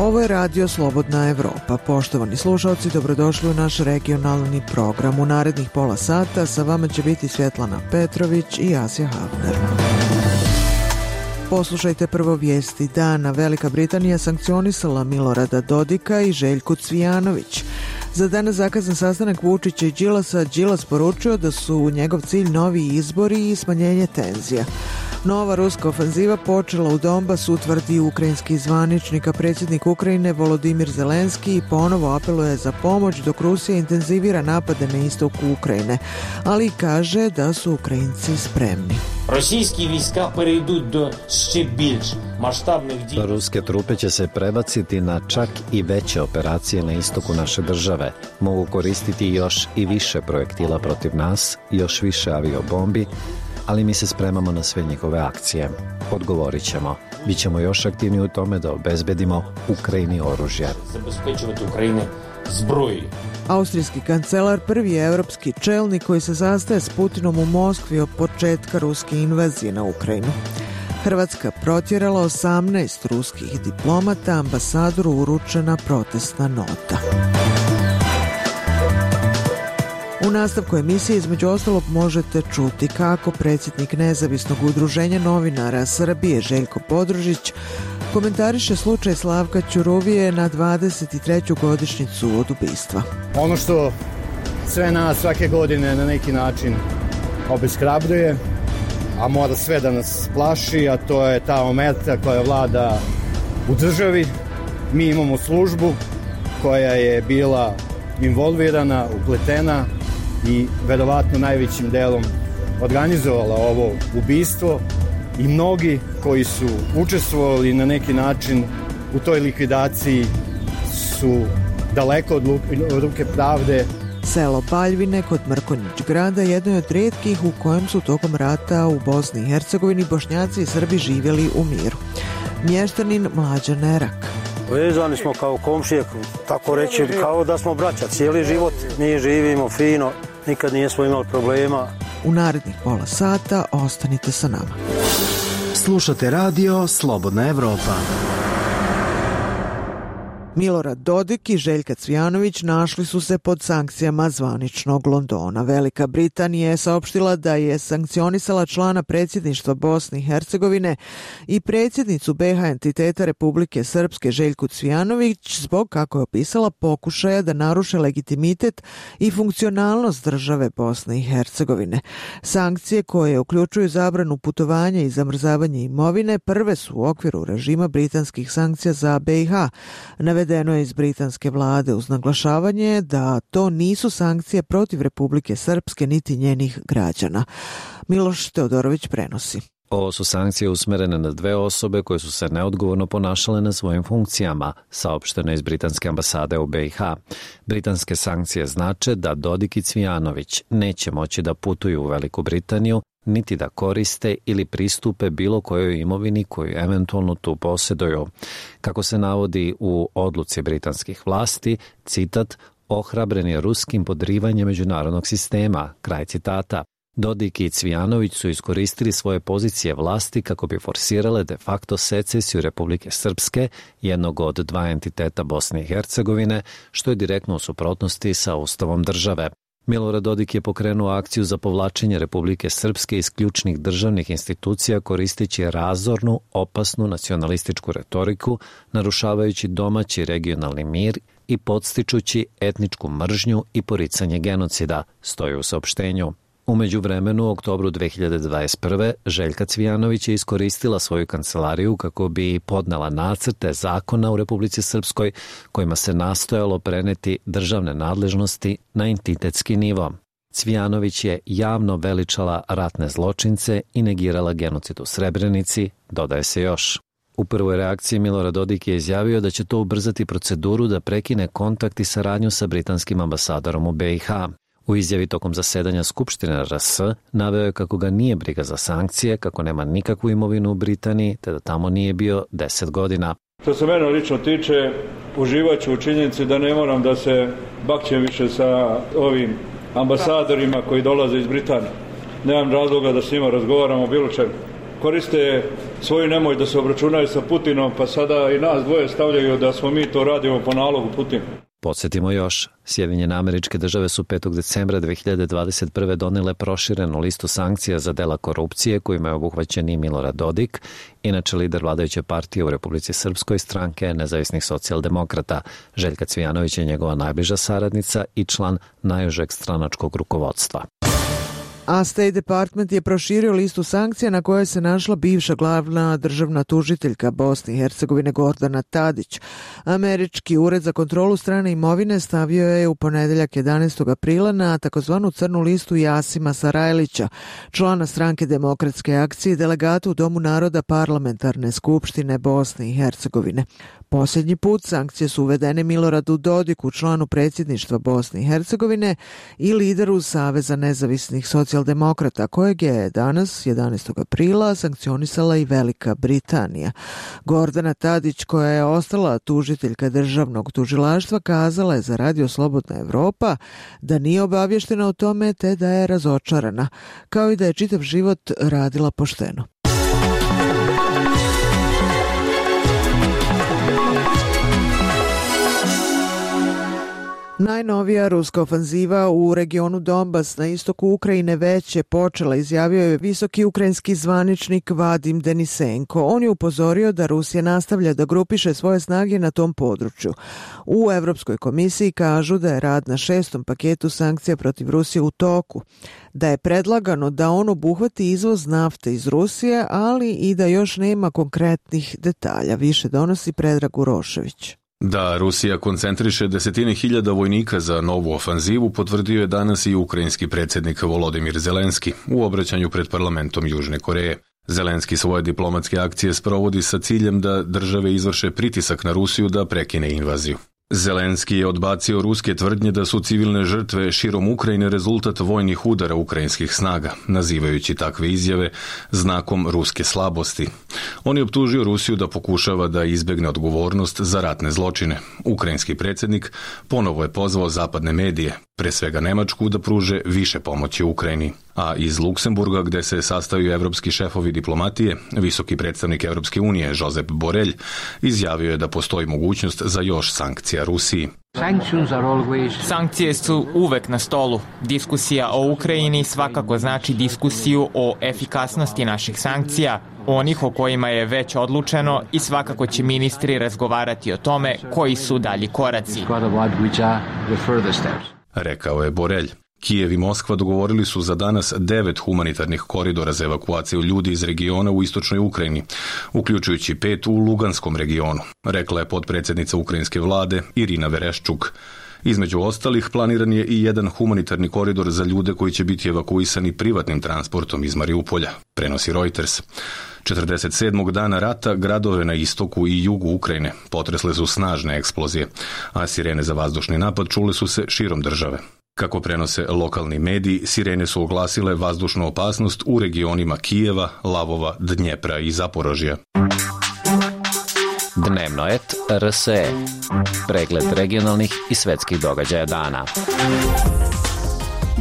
Ovo je Radio Slobodna Evropa. Poštovani slušalci, dobrodošli u naš regionalni program. U narednih pola sata sa vama će biti Svjetlana Petrović i Asja Havner. Poslušajte prvo vijesti dana. Velika Britanija sankcionisala Milorada Dodika i Željku Cvijanović. Za danas zakazan sastanak Vučića i Đilasa, Đilas poručio da su njegov cilj novi izbori i smanjenje tenzija. Nova ruska ofenziva počela u Donbasu, tvrdi ukrajinski zvaničnik, a predsjednik Ukrajine Volodimir Zelenski ponovo apeluje za pomoć dok Rusija intenzivira napade na istoku Ukrajine, ali kaže da su Ukrajinci spremni. Ruske trupe će se prebaciti na čak i veće operacije na istoku naše države. Mogu koristiti još i više projektila protiv nas, još više aviobombi, ali mi se spremamo na sve njihove akcije. Odgovorit ćemo. Bićemo još aktivniji u tome da obezbedimo Ukrajini oružje. Austrijski kancelar prvi je europski čelnik koji se sastaje s Putinom u Moskvi od početka ruske invazije na Ukrajinu. Hrvatska protjerala 18 ruskih diplomata, ambasadoru uručena protestna nota. U nastavku emisije između ostalog možete čuti kako predsjednik Nezavisnog udruženja novinara Srbije Željko Podružić komentariše slučaj Slavka Ćuruvije na 23. godišnjicu od ubistva. Ono što sve nas svake godine na neki način obeshrabruje, a mora sve da nas plaši, a to je ta omerta koja vlada u državi. Mi imamo službu koja je bila involvirana, upletena i verovatno najvećim delom organizovala ovo ubistvo i mnogi koji su učestvovali na neki način u toj likvidaciji su daleko od ruke pravde. Selo Baljvine kod Mrkonjić grada jedno je od rijetkih u kojem su tokom rata u Bosni i Hercegovini Bošnjaci i Srbi živjeli u miru. Mještanin Mlađan Nerak. Vezani smo kao komšije, tako reći, kao da smo braća. Cijeli život mi živimo fino, nikad nismo imali problema. U narednih pola sata ostanite sa nama. Slušate radio Slobodna Evropa. Milorad Dodik i Željka Cvijanović našli su se pod sankcijama zvaničnog Londona. Velika Britanija je saopštila da je sankcionisala člana predsjedništva Bosne i Hercegovine i predsjednicu BiH entiteta Republike Srpske Željku Cvijanović zbog, kako je opisala, pokušaja da naruše legitimitet i funkcionalnost države Bosne i Hercegovine. Sankcije koje uključuju zabranu putovanja i zamrzavanje imovine prve su u okviru režima britanskih sankcija za BiH. Navedeno je iz britanske vlade uz naglašavanje da to nisu sankcije protiv Republike Srpske niti njenih građana. Miloš Teodorović prenosi. Ovo su sankcije usmerene na dve osobe koje su se neodgovorno ponašale na svojim funkcijama, saopšteno iz britanske ambasade u BiH. Britanske sankcije znače da Dodik i Cvijanović neće moći da putuju u Veliku Britaniju, niti da koriste ili pristupe bilo kojoj imovini koju eventualno tu posjeduju. Kako se navodi u odluci britanskih vlasti, citat, ohrabren je ruskim podrivanjem međunarodnog sistema, kraj citata. Dodik i Cvijanović su iskoristili svoje pozicije vlasti kako bi forsirale de facto secesiju Republike Srpske, jednog od dva entiteta Bosne i Hercegovine, što je direktno u suprotnosti sa ustavom države. Milorad Dodik je pokrenuo akciju za povlačenje Republike Srpske iz ključnih državnih institucija koristeći razornu, opasnu nacionalističku retoriku, narušavajući domaći regionalni mir i podstičući etničku mržnju i poricanje genocida, stoji u saopštenju. U međuvremenu, u oktobru 2021. Željka Cvijanović je iskoristila svoju kancelariju kako bi podnela nacrte zakona u Republici Srpskoj kojima se nastojalo preneti državne nadležnosti na entitetski nivo. Cvijanović je javno veličala ratne zločince i negirala genocid u Srebrenici, dodaje se još. U prvoj reakciji Milorad Dodik je izjavio da će to ubrzati proceduru da prekine kontakt i saradnju sa britanskim ambasadorom u BiH. U izjavi tokom zasedanja Skupštine RS naveo je kako ga nije briga za sankcije, kako nema nikakvu imovinu u Britaniji, te da tamo nije bio 10 godina. Što se mene lično tiče, uživat ću u činjenici da ne moram da se bakćem više sa ovim ambasadorima koji dolaze iz Britanije. Nemam razloga da s njima razgovaramo o bilo čemu. Koriste svoju nemoj da se obračunaju sa Putinom, pa sada i nas dvoje stavljaju da smo mi to radimo po nalogu Putina. Podsjetimo još, Sjedinjene Američke Države su 5. decembra 2021. donele proširenu listu sankcija za dela korupcije kojima je obuhvaćen i Milorad Dodik, inače lider vladajuće partije u Republici Srpskoj, Stranke nezavisnih socijaldemokrata. Željka Cvijanović je njegova najbliža saradnica i član najužeg stranačkog rukovodstva. A State Department je proširio listu sankcija na kojoj se našla bivša glavna državna tužiteljka Bosne i Hercegovine Gordana Tadić. Američki ured za kontrolu strane imovine stavio je u ponedeljak 11. aprila na takozvanu crnu listu Jasima Sarajlića, člana Stranke demokratske akcije i delegata u Domu naroda Parlamentarne skupštine Bosne i Hercegovine. Posljednji put sankcije su uvedene Miloradu Dodiku, članu predsjedništva Bosne i Hercegovine i lideru Saveza nezavisnih socijaldemokrata, kojeg je danas, 11. aprila, sankcionisala i Velika Britanija. Gordana Tadić, koja je ostala tužiteljka državnog tužilaštva, kazala je za Radio Slobodna Evropa da nije obavještena o tome te da je razočarana, kao i da je čitav život radila pošteno. Najnovija ruska ofanziva u regionu Donbas na istoku Ukrajine već je počela, izjavio je visoki ukrajinski zvaničnik Vadim Denisenko. On je upozorio da Rusija nastavlja da grupiše svoje snage na tom području. U Evropskoj komisiji kažu da je rad na 6. paketu sankcija protiv Rusije u toku, da je predlagano da on obuhvati izvoz nafte iz Rusije, ali i da još nema konkretnih detalja. Više donosi Predrag Urošević. Da Rusija koncentriše desetine hiljada vojnika za novu ofanzivu potvrdio je danas i ukrajinski predsjednik Volodimir Zelenski u obraćanju pred parlamentom Južne Koreje. Zelenski svoje diplomatske akcije sprovodi sa ciljem da države izvrše pritisak na Rusiju da prekine invaziju. Zelenski je odbacio ruske tvrdnje da su civilne žrtve širom Ukrajine rezultat vojnih udara ukrajinskih snaga, nazivajući takve izjave znakom ruske slabosti. On je optužio Rusiju da pokušava da izbjegne odgovornost za ratne zločine. Ukrajinski predsjednik ponovo je pozvao zapadne medije, pre svega Nemačku, da pruže više pomoći Ukrajini. A iz Luksemburga, gde se sastaju evropski šefovi diplomatije, visoki predstavnik Evropske unije Josep Borrell izjavio je da postoji mogućnost za još sankcija Rusiji. Sankcije su uvek na stolu. Diskusija o Ukrajini svakako znači diskusiju o efikasnosti naših sankcija, onih o kojima je već odlučeno, i svakako će ministri razgovarati o tome koji su dalji koraci. Rekao je Borrell. Kijev i Moskva dogovorili su za danas 9 humanitarnih koridora za evakuaciju ljudi iz regiona u istočnoj Ukrajini, uključujući 5 u Luganskom regionu, rekla je potpredsjednica ukrajinske vlade Irina Vereščuk. Između ostalih, planiran je i jedan humanitarni koridor za ljude koji će biti evakuisani privatnim transportom iz Mariupolja, prenosi Reuters. 47. dana rata gradove na istoku i jugu Ukrajine potresle su snažne eksplozije, a sirene za vazdušni napad čule su se širom države. Kako prenose lokalni mediji, sirene su oglasile vazdušnu opasnost u regionima Kijeva, Lavova, Dnjepra i Zaporožja. Dnevno et RSE. Pregled regionalnih i svetskih događaja dana.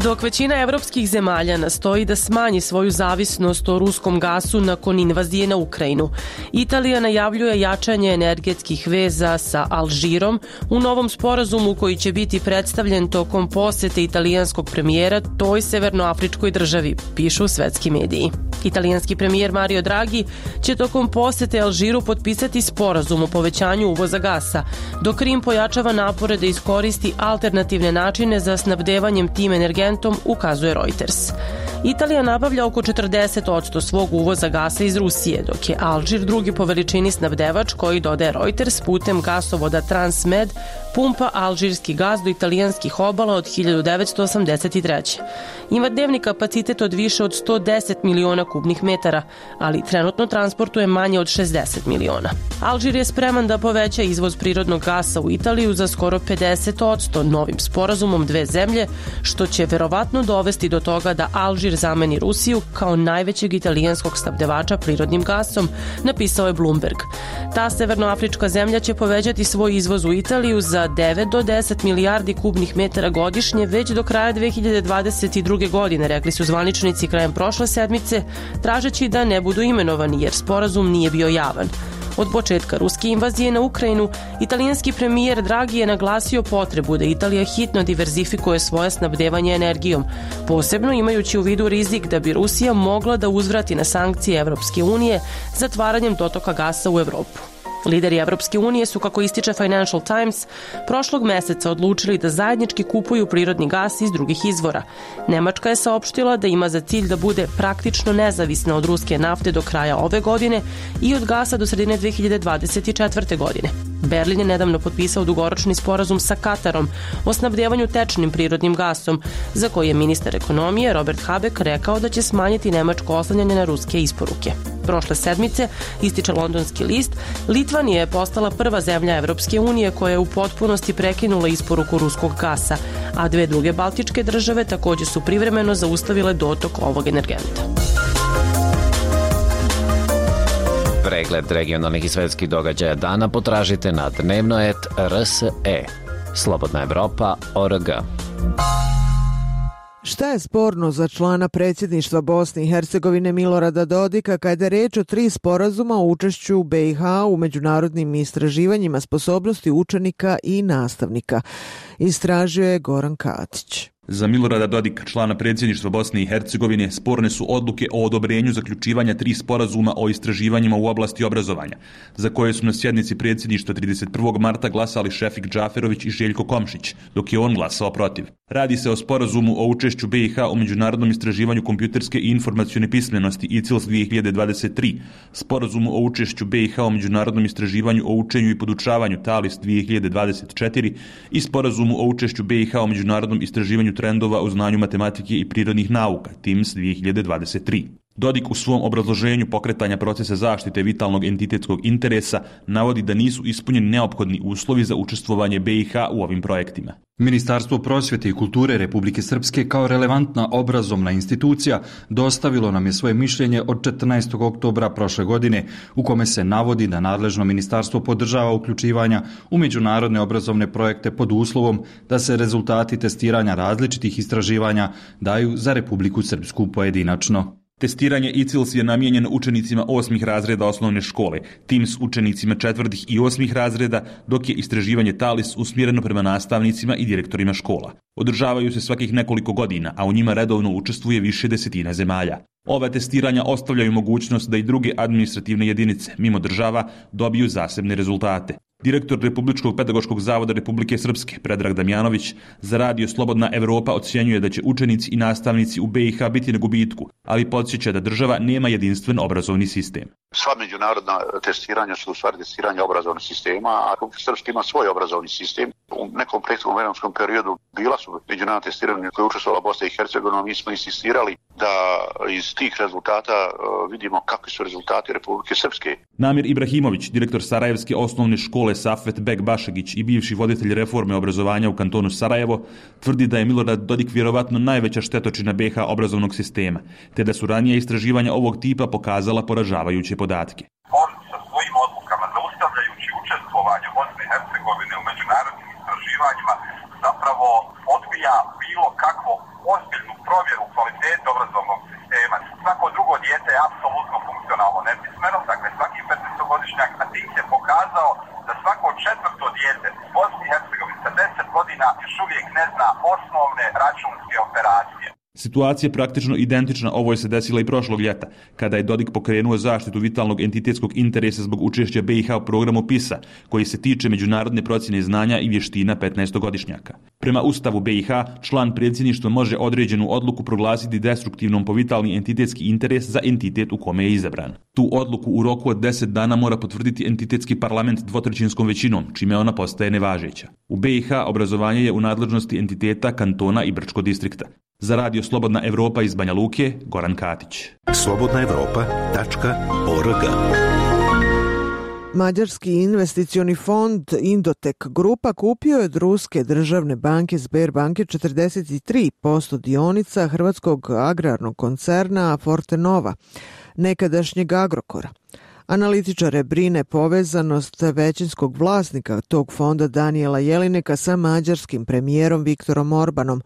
Dok većina evropskih zemalja nastoji da smanji svoju zavisnost o ruskom gasu nakon invazije na Ukrajinu, Italija najavljuje jačanje energetskih veza sa Alžirom u novom sporazumu koji će biti predstavljen tokom posete italijanskog premijera toj severnoafričkoj državi, pišu svetski mediji. Italijanski premijer Mario Draghi će tokom posete Alžiru potpisati sporazum o povećanju uvoza gasa, dok Rim pojačava napore da iskoristi alternativne načine za snabdevanjem tim energentom, ukazuje Reuters. Italija nabavlja oko 40% svog uvoza gasa iz Rusije, dok je Alžir drugi po veličini snabdevač koji, dodaje Reuters, putem gasovoda Transmed pumpa alžirski gas do italijanskih obala od 1983. Ima dnevni kapacitet od više od 110 miliona kubnih metara, ali trenutno transportuje manje od 60 miliona. Alžir je spreman da poveća izvoz prirodnog gasa u Italiju za skoro 50% novim sporazumom dve zemlje, što će verovatno dovesti do toga da Alžir Alžir zameni Rusiju kao najvećeg italijanskog snabdevača prirodnim gasom, napisao je Bloomberg. Ta severnoafrička zemlja će povećati svoj izvoz u Italiju za 9 do 10 milijardi kubnih metara godišnje već do kraja 2022. godine, rekli su zvaničnici krajem prošle sedmice, tražeći da ne budu imenovani jer sporazum nije bio javan. Od početka ruske invazije na Ukrajinu, italijanski premijer Draghi je naglasio potrebu da Italija hitno diverzifikuje svoje snabdevanje energijom, posebno imajući u vidu rizik da bi Rusija mogla da uzvrati na sankcije Evropske unije zatvaranjem dotoka gasa u Evropu. Lideri Evropske unije su, kako ističe Financial Times, prošlog meseca odlučili da zajednički kupuju prirodni gas iz drugih izvora. Nemačka je saopštila da ima za cilj da bude praktično nezavisna od ruske nafte do kraja ove godine i od gasa do sredine 2024. godine. Berlin je nedavno potpisao dugoročni sporazum sa Katarom o snabdevanju tečnim prirodnim gasom, za koji je ministar ekonomije Robert Habeck rekao da će smanjiti nemačko oslanjanje na ruske isporuke. Prošle sedmice, ističe londonski list, Litvanija je postala prva zemlja Evropske unije koja je u potpunosti prekinula isporuku ruskog gasa, a 2 druge baltičke države također su privremeno zaustavile dotok ovog energenta. Pregled regionalnih i svetskih događaja dana potražite na dnevno.rs.e. Slobodna Evropa.org. Šta je sporno za člana predsjedništva Bosne i Hercegovine Milorada Dodika kada je reč o 3 sporazuma o učešću BiH u međunarodnim istraživanjima sposobnosti učenika i nastavnika? Istražio je Goran Katić. Za Milorada Dodika, člana predsjedništva Bosne i Hercegovine, sporne su odluke o odobrenju zaključivanja 3 sporazuma o istraživanjima u oblasti obrazovanja, za koje su na sjednici predsjedništva 31. marta glasali Šefik Džaferović i Željko Komšić, dok je on glasao protiv. Radi se o sporazumu o učešću BiH u međunarodnom istraživanju kompjuterske i informacione pismenosti ICILS 2023, sporazumu o učešću BiH u međunarodnom istraživanju o učenju i podučavanju TALIS 2024 i sporazumu o učešću BiH u međunarodnom istraživanju trendova u znanju matematike i prirodnih nauka, TIMSS 2023. Dodik u svom obrazloženju pokretanja procesa zaštite vitalnog entitetskog interesa navodi da nisu ispunjeni neophodni uslovi za učestvovanje BiH u ovim projektima. Ministarstvo prosvjete i kulture Republike Srpske kao relevantna obrazovna institucija dostavilo nam je svoje mišljenje od 14. oktobra prošle godine u kome se navodi da nadležno ministarstvo podržava uključivanja u međunarodne obrazovne projekte pod uslovom da se rezultati testiranja različitih istraživanja daju za Republiku Srpsku pojedinačno. Testiranje ICILS je namijenjeno učenicima 8. razreda osnovne škole, TIMSS učenicima 4. i 8. razreda, dok je istraživanje TALIS usmjereno prema nastavnicima i direktorima škola. Održavaju se svakih nekoliko godina, a u njima redovno učestvuje više desetina zemalja. Ova testiranja ostavljaju mogućnost da i druge administrativne jedinice, mimo država, dobiju zasebne rezultate. Direktor Republičkog pedagoškog zavoda Republike Srpske, Predrag Damjanović, za radio Slobodna Evropa ocjenjuje da će učenici i nastavnici u BiH biti na gubitku, ali podsjeća da država nema jedinstven obrazovni sistem. Sva međunarodna testiranja su u stvari testiranja obrazovnog sistema, a Republika Srpska ima svoj obrazovni sistem. U nekom prethodnom vremenskom periodu bila su međunarodna testiranja koje je učestvovala Bosna i Hercegovina, mi smo insistirali da iz tih rezultata vidimo kakvi su rezultati Republike Srpske. Namir Ibrahimović, direktor Sarajevske osnovne škole Safet Bek Bašegić i bivši voditelj reforme obrazovanja u kantonu Sarajevo, tvrdi da je Milorad Dodik vjerovatno najveća štetočina BiH obrazovnog sistema, te da su ranije istraživanja ovog tipa pokazala poražavajuće podatke. On sa svojim odlukama, zaustavljajući učestvovanje Bosne i Hercegovine u međunarodnim istraživanjima, zapravo odbija bilo kakvu ozbiljnu provjeru kvalitete obrazovnog sistema. Svako drugo dijete je apsolutno funkcionalno nepismeno, dakle svaki 15-godišnjak, a tim se pokazao da svako 4. dijete u Bosni i Hercegovini sa 10 godina još uvijek ne zna osnovne računske operacije. Situacija je praktično identična ovoj se desila i prošlog ljeta, kada je Dodik pokrenuo zaštitu vitalnog entitetskog interesa zbog učešća BiH u programu PISA, koji se tiče međunarodne procjene znanja i vještina 15-godišnjaka. Prema Ustavu BiH, član predsjedništva može određenu odluku proglasiti destruktivnom po vitalni entitetski interes za entitet u kome je izabran. Tu odluku u roku od 10 dana mora potvrditi entitetski parlament 2/3 većinom, čime ona postaje nevažeća. U BiH obrazovanje je u nadležnosti entiteta, kantona i Brčkog distrikta. Za radio Slobodna Evropa iz Banja Luke, Goran Katić. slobodnaevropa.org. Mađarski investicioni fond Indotek Grupa kupio je od ruske državne banke Sberbanke 43% dionica hrvatskog agrarnog koncerna Fortenova, nekadašnjeg Agrokora. Analitičare brine povezanost većinskog vlasnika tog fonda Danijela Jelineka sa mađarskim premijerom Viktorom Orbanom,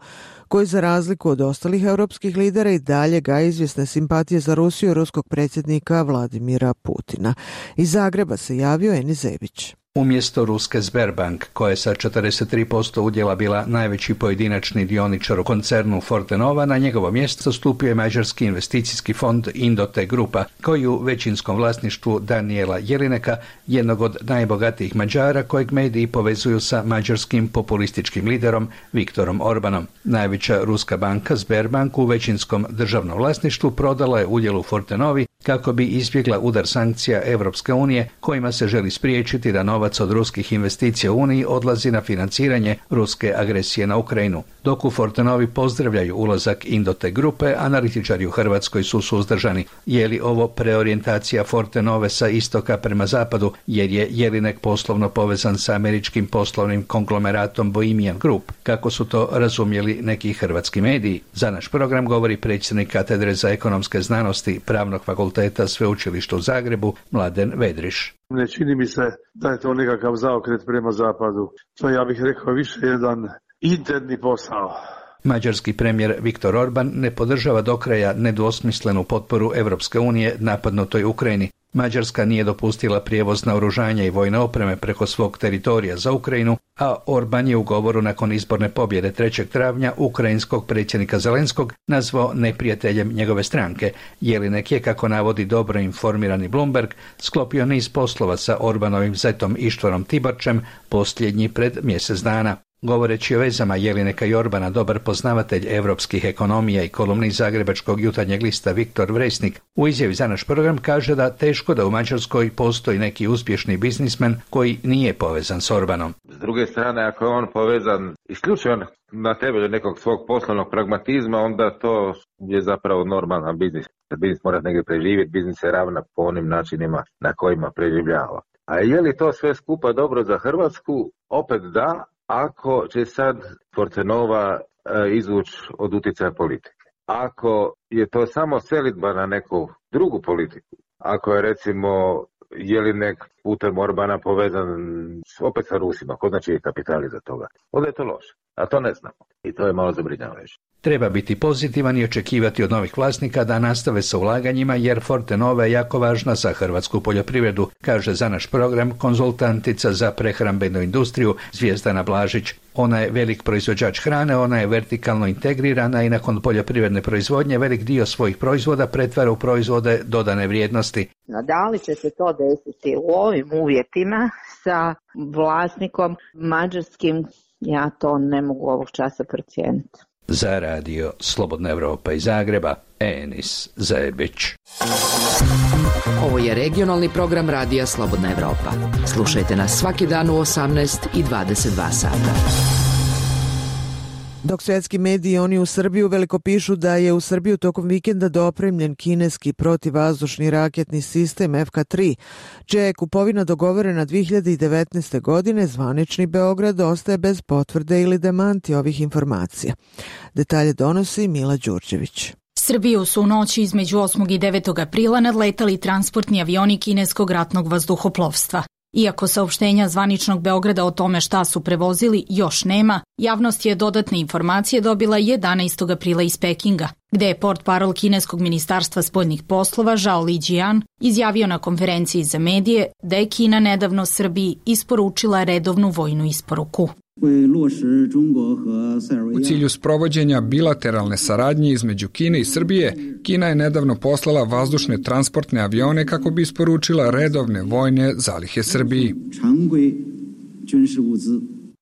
koji za razliku od ostalih europskih lidera i dalje gaji izvjesne simpatije za Rusiju i ruskog predsjednika Vladimira Putina. Iz Zagreba se javio Enis Zebić. Umjesto ruske Sberbank, koja je sa 43% udjela bila najveći pojedinačni dioničar u koncernu Fortenova, na njegovo mjesto stupio je mađarski investicijski fond Indotek Grupa, koji u većinskom vlasništvu Danijela Jelineka, jednog od najbogatijih Mađara kojeg mediji povezuju sa mađarskim populističkim liderom Viktorom Orbanom. Najveća ruska banka Sberbank u većinskom državnom vlasništvu prodala je udjel u Fortenovi kako bi izbjegla udar sankcija Europske unije kojima se želi spriječiti da novac od ruskih investicija u Uniji odlazi na financiranje ruske agresije na Ukrajinu. Dok u Fortenovi pozdravljaju ulazak Indotek Grupe, analitičari u Hrvatskoj su suzdržani. Je li ovo preorijentacija Fortenove sa istoka prema zapadu, jer je Jelinek poslovno povezan sa američkim poslovnim konglomeratom Bohemian Group, kako su to razumjeli neki hrvatski mediji? Za naš program govori predsjednik katedre za ekonomske znanosti Pravnog fakulteta Sveučilišta u Zagrebu, Mladen Vedriš. Ne čini mi se da je to nekakav zaokret prema zapadu. To ja bih rekao više jedan interni posao. Mađarski premijer Viktor Orban ne podržava do kraja nedvosmislenu potporu Europske unije napadnutoj Ukrajini. Mađarska nije dopustila prijevoz naoružanja i vojne opreme preko svog teritorija za Ukrajinu, a Orban je u govoru nakon izborne pobjede 3. travnja ukrajinskog predsjednika Zelenskog nazvao neprijateljem njegove stranke. Jelinek je, kako navodi dobro informirani Bloomberg, sklopio niz poslova sa Orbanovim zetom Ištvanom Tiborčem, posljednji pred mjesec dana. Govoreći o vezama Jelineka i Orbana, dobar poznavatelj europskih ekonomija i kolumnist zagrebačkog Jutarnjeg lista Viktor Vresnik u izjavi za naš program kaže da teško da u Mađarskoj postoji neki uspješni biznismen koji nije povezan s Orbanom. S druge strane, ako je on povezan isključivo na temelju nekog svog poslovnog pragmatizma, onda to je zapravo normalan biznis. Biznis mora negdje preživjeti, biznis se ravna po onim načinima na kojima preživljava. A je li to sve skupa dobro za Hrvatsku? Opet da. Ako će sad Fortenova izvući od utjecaja politike, ako je to samo selidba na neku drugu politiku, ako je recimo Jelinek putem Orbana povezan opet sa Rusima, ko znači je kapital iza toga, onda je to loše, a to ne znamo i to je malo zabrinjavajuće. Treba biti pozitivan i očekivati od novih vlasnika da nastave sa ulaganjima, jer Fortenova je jako važna za hrvatsku poljoprivredu, kaže za naš program konzultantica za prehrambenu industriju Zvijezdana Blažić. Ona je velik proizvođač hrane, ona je vertikalno integrirana i nakon poljoprivredne proizvodnje velik dio svojih proizvoda pretvara u proizvode dodane vrijednosti. Da li će se to desiti u ovim uvjetima sa vlasnikom mađarskim, ja to ne mogu ovog časa procijeniti. Za radio Slobodna Evropa iz Zagreba, Enis Zebić. Ovo je regionalni program radija Slobodna Evropa. Slušajte nas svaki dan u 18 i 22 sata. Dok svjetski mediji oni u Srbiju veliko pišu da je u Srbiju tokom vikenda dopremljen kineski protivvazdušni raketni sistem FK-3, čija je kupovina dogovorena 2019. godine, zvanični Beograd ostaje bez potvrde ili demanti ovih informacija. Detalje donosi Mila Đurđević. Srbiju su u noći između 8. i 9. aprila nadletali transportni avioni kineskog ratnog vazduhoplovstva. Iako saopštenja zvaničnog Beograda o tome šta su prevozili još nema, javnost je dodatne informacije dobila 11. aprila iz Pekinga, gde je portparol kineskog ministarstva spoljnih poslova Zhao Lijian izjavio na konferenciji za medije da je Kina nedavno Srbiji isporučila redovnu vojnu isporuku. U cilju sprovođenja bilateralne saradnje između Kine i Srbije, Kina je nedavno poslala vazdušne transportne avione kako bi isporučila redovne vojne zalihe Srbiji.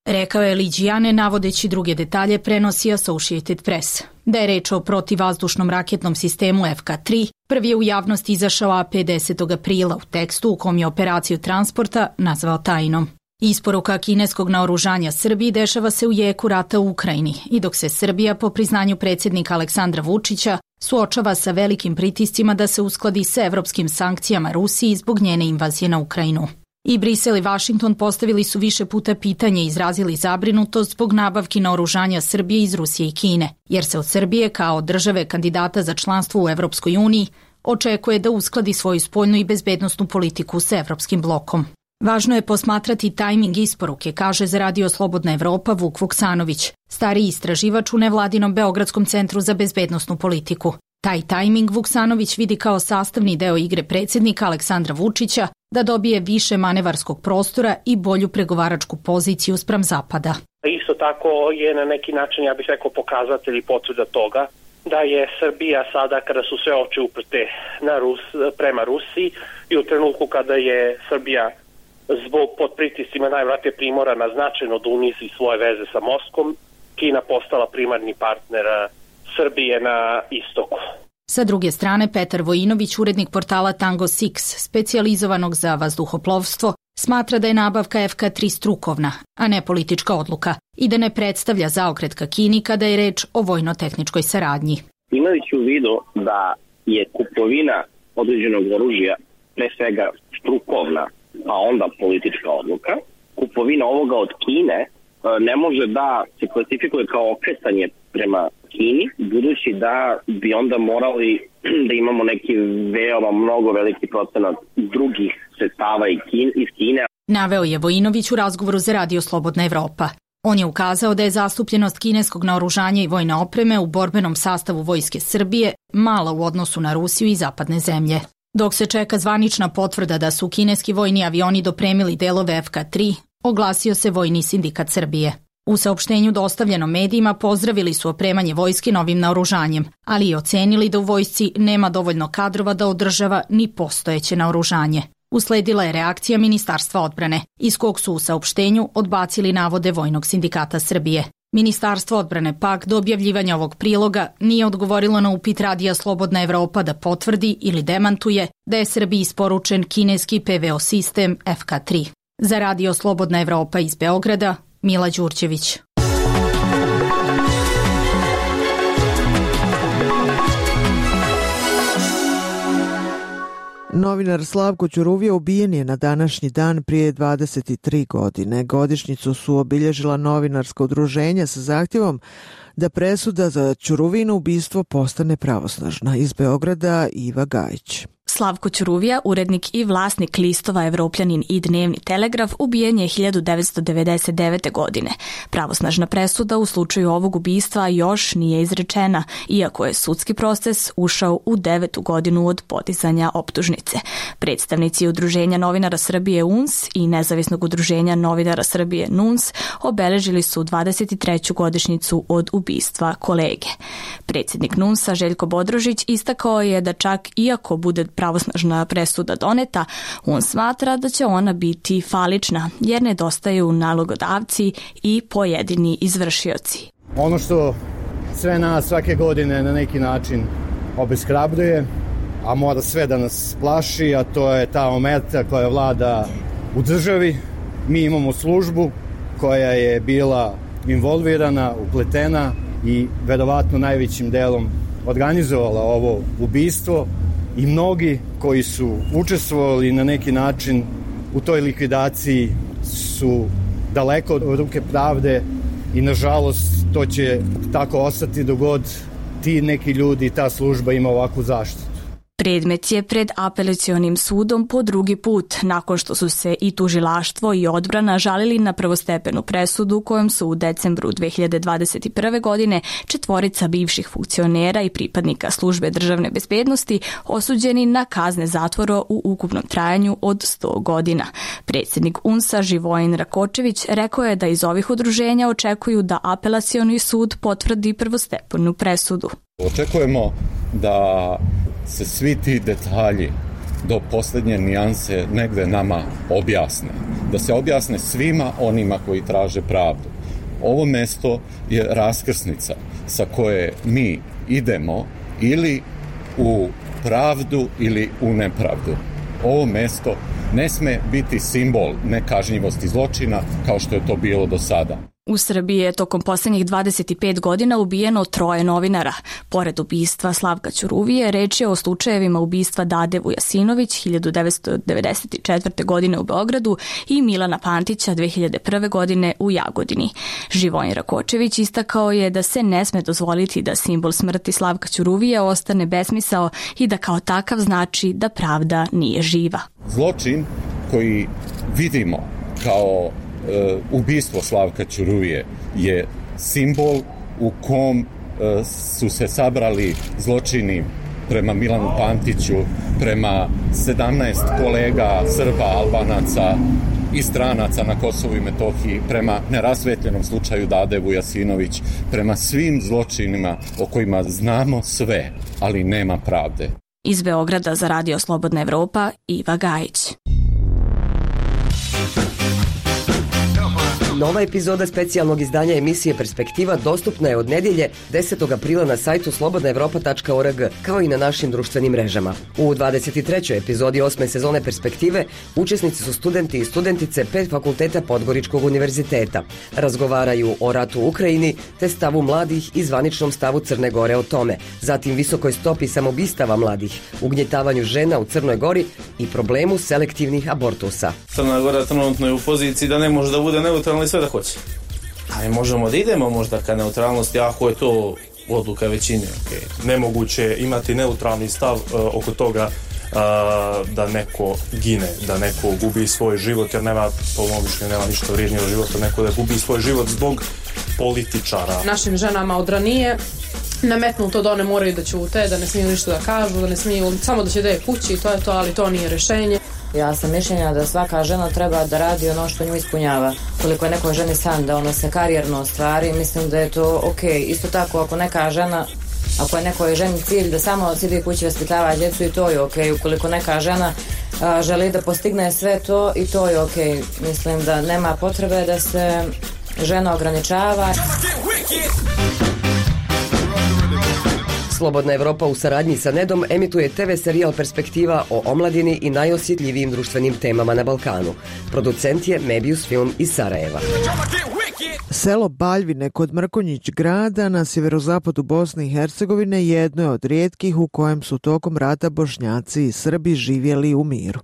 Rekao je Lijiane, navodeći druge detalje, prenosi Associated Press. Da je reč o protivvazdušnom raketnom sistemu FK-3, prvi je u javnosti izašao AP 10. aprila u tekstu u kom je operaciju transporta nazvao tajnom. Isporuka kineskog naoružanja Srbiji dešava se u jeku rata u Ukrajini i dok se Srbija, po priznanju predsjednika Aleksandra Vučića, suočava sa velikim pritiscima da se uskladi sa evropskim sankcijama Rusiji zbog njene invazije na Ukrajinu. I Brisel i Vašington postavili su više puta pitanje i izrazili zabrinutost zbog nabavki naoružanja Srbije iz Rusije i Kine, jer se od Srbije kao države kandidata za članstvo u Evropskoj uniji očekuje da uskladi svoju spoljnu i bezbednosnu politiku s evropskim blokom. Važno je posmatrati tajming isporuke, kaže za Radio Slobodna Evropa Vuk Vuksanović, stariji istraživač u nevladinom Beogradskom centru za bezbednosnu politiku. Taj tajming Vuksanović vidi kao sastavni deo igre predsjednika Aleksandra Vučića da dobije više manevarskog prostora i bolju pregovaračku poziciju spram Zapada. Isto tako je na neki način, ja bih rekao, pokazatelj i potvrda toga da je Srbija sada, kada su sve oči uprte prema Rusiji i u trenutku kada je Srbija zbog pod pritiscima najvratnije primorana značajno da unizi svoje veze sa Moskvom, Kina postala primarni partner Srbije na istoku. Sa druge strane, Petar Vojinović, urednik portala Tango 6, specijalizovanog za vazduhoplovstvo, smatra da je nabavka FK-3 strukovna, a ne politička odluka i da ne predstavlja zaokret ka Kini kada je reč o vojno-tehničkoj saradnji. Imajući u vidu da je kupovina određenog oružja pre svega strukovna, a onda politička odluka, kupovina ovoga od Kine ne može da se klasifikuje kao okretanje prema Kini, budući da bi onda morali da imamo neki veoma mnogo veliki procenat drugih sredstava iz Kine. Naveo je Vojinović u razgovoru za Radio Slobodna Evropa. On je ukazao da je zastupljenost kineskog naoružanja i vojne opreme u borbenom sastavu Vojske Srbije mala u odnosu na Rusiju i zapadne zemlje. Dok se čeka zvanična potvrda da su kineski vojni avioni dopremili delove FK-3, oglasio se Vojni sindikat Srbije. U saopštenju dostavljenom medijima pozdravili su opremanje vojske novim naoružanjem, ali i ocenili da u vojsci nema dovoljno kadrova da održava ni postojeće naoružanje. Usledila je reakcija Ministarstva odbrane, iz kog su u saopštenju odbacili navode Vojnog sindikata Srbije. Ministarstvo odbrane pak do objavljivanja ovog priloga nije odgovorilo na upit Radija Slobodna Evropa da potvrdi ili demantuje da je Srbiji isporučen kineski PVO sistem FK-3. Za Radio Slobodna Evropa iz Beograda, Mila Đurđević. Novinar Slavko Ćuruvija ubijen je na današnji dan prije 23 godine. Godišnjicu su obilježila novinarska udruženja sa zahtjevom da presuda za Ćuruvino ubistvo postane pravosnažna. Iz Beograda Iva Gajić. Slavko Ćuruvija, urednik i vlasnik listova Evropljanin i Dnevni telegraf, ubijen je 1999. godine. Pravosnažna presuda u slučaju ovog ubistva još nije izrečena, iako je sudski proces ušao u 9. godinu od podizanja optužnice. Predstavnici Udruženja novinara Srbije UNS i Nezavisnog udruženja novinara Srbije NUNS obeležili su 23. godišnjicu od ubistva kolege. Predsjednik NUNS-a Željko Bodrožić istakao je da čak iako bude pravosnažna presuda doneta, on smatra da će ona biti falična, jer nedostaju nalogodavci i pojedini izvršioci. Ono što sve nas svake godine na neki način obeshrabruje, a mora sve da nas plaši, a to je ta omerta koja vlada u državi. Mi imamo službu koja je bila involvirana, upletena i verovatno najvećim delom organizovala ovo ubistvo. I mnogi koji su učestvovali na neki način u toj likvidaciji su daleko od ruke pravde i nažalost to će tako ostati dok god ti neki ljudi i ta služba ima ovakvu zaštitu. Predmet je pred apelacionim sudom po drugi put, nakon što su se i tužilaštvo i odbrana žalili na prvostepenu presudu kojom su u decembru 2021. godine 4 bivših funkcionera i pripadnika službe državne bezbednosti osuđeni na kazne zatvora u ukupnom trajanju od 100 godina. Predsjednik UNS-a Živojin Rakočević rekao je da iz ovih udruženja očekuju da apelacioni sud potvrdi prvostepenu presudu. Očekujemo da se svi ti detalji do posljednje nijanse negde nama objasne. Da se objasne svima onima koji traže pravdu. Ovo mesto je raskrsnica sa koje mi idemo ili u pravdu ili u nepravdu. Ovo mesto ne sme biti simbol nekažnjivosti zločina kao što je to bilo do sada. U Srbiji je tokom posljednjih 25 godina ubijeno 3 novinara. Pored ubistva Slavka Ćuruvije, reč je o slučajevima ubistva Dade Vujasinović 1994. godine u Beogradu i Milana Pantića 2001. godine u Jagodini. Živojin Rakočević istakao je da se ne sme dozvoliti da simbol smrti Slavka Ćuruvije ostane besmisao i da kao takav znači da pravda nije živa. Zločin koji vidimo kao ubistvo Slavka Ćuruvije je simbol u kom su se sabrali zločini prema Milanu Pantiću, prema 17 kolega Srba, Albanaca i stranaca na Kosovu i Metohiji, prema nerasvetljenom slučaju Dade Vujasinović, prema svim zločinima o kojima znamo sve, ali nema pravde. Iz Beograda za Radio Slobodna Evropa, Iva Gajić. Nova epizoda specijalnog izdanja emisije Perspektiva dostupna je od nedjelje 10. aprila na sajtu slobodnaevropa.org, kao i na našim društvenim mrežama. U 23. epizodi 8. sezone Perspektive učesnici su studenti i studentice 5 fakulteta Podgoričkog univerziteta. Razgovaraju o ratu u Ukrajini te stavu mladih i zvaničnom stavu Crne Gore o tome, zatim visokoj stopi samobistava mladih, ugnjetavanju žena u Crnoj Gori i problemu selektivnih abortusa. Crna Gora trenutno je u poziciji da ne može da bude neutralna sve da hoće. Ali možemo da idemo možda ka neutralnosti ako je to odluka većine. Okay. Nemoguće je imati neutralni stav oko toga da neko gine, da neko gubi svoj život, jer nema, po mom mišljenju, nema ništa vrijednije od života, neko da gubi svoj život zbog političara. Našim ženama od ranije nametnuto da one moraju da ćute, da ne smiju ništa da kažu, da ne smiju, samo da će da je kući i to je to, ali to nije rješenje. Ja sam mišljenja da svaka žena treba da radi ono što nju ispunjava. Koliko je nekoj ženi san da ona se karijerno ostvari, mislim da je to okej. Isto tako ako neka žena, ako je nekoj ženi cilj da samo sidi kući vaspitava djecu, i to je okej. Ukoliko neka žena želi da postigne sve to, i to je okej. Mislim da nema potrebe da se žena ograničava. Slobodna Evropa u saradnji sa Nedom emituje TV serijal Perspektiva o omladini i najosjetljivijim društvenim temama na Balkanu. Producent je Mebius Film iz Sarajeva. Selo Baljvine kod Mrkonjić grada na sjeverozapadu Bosne i Hercegovine jedno je od rijetkih u kojem su tokom rata Bošnjaci i Srbi živjeli u miru.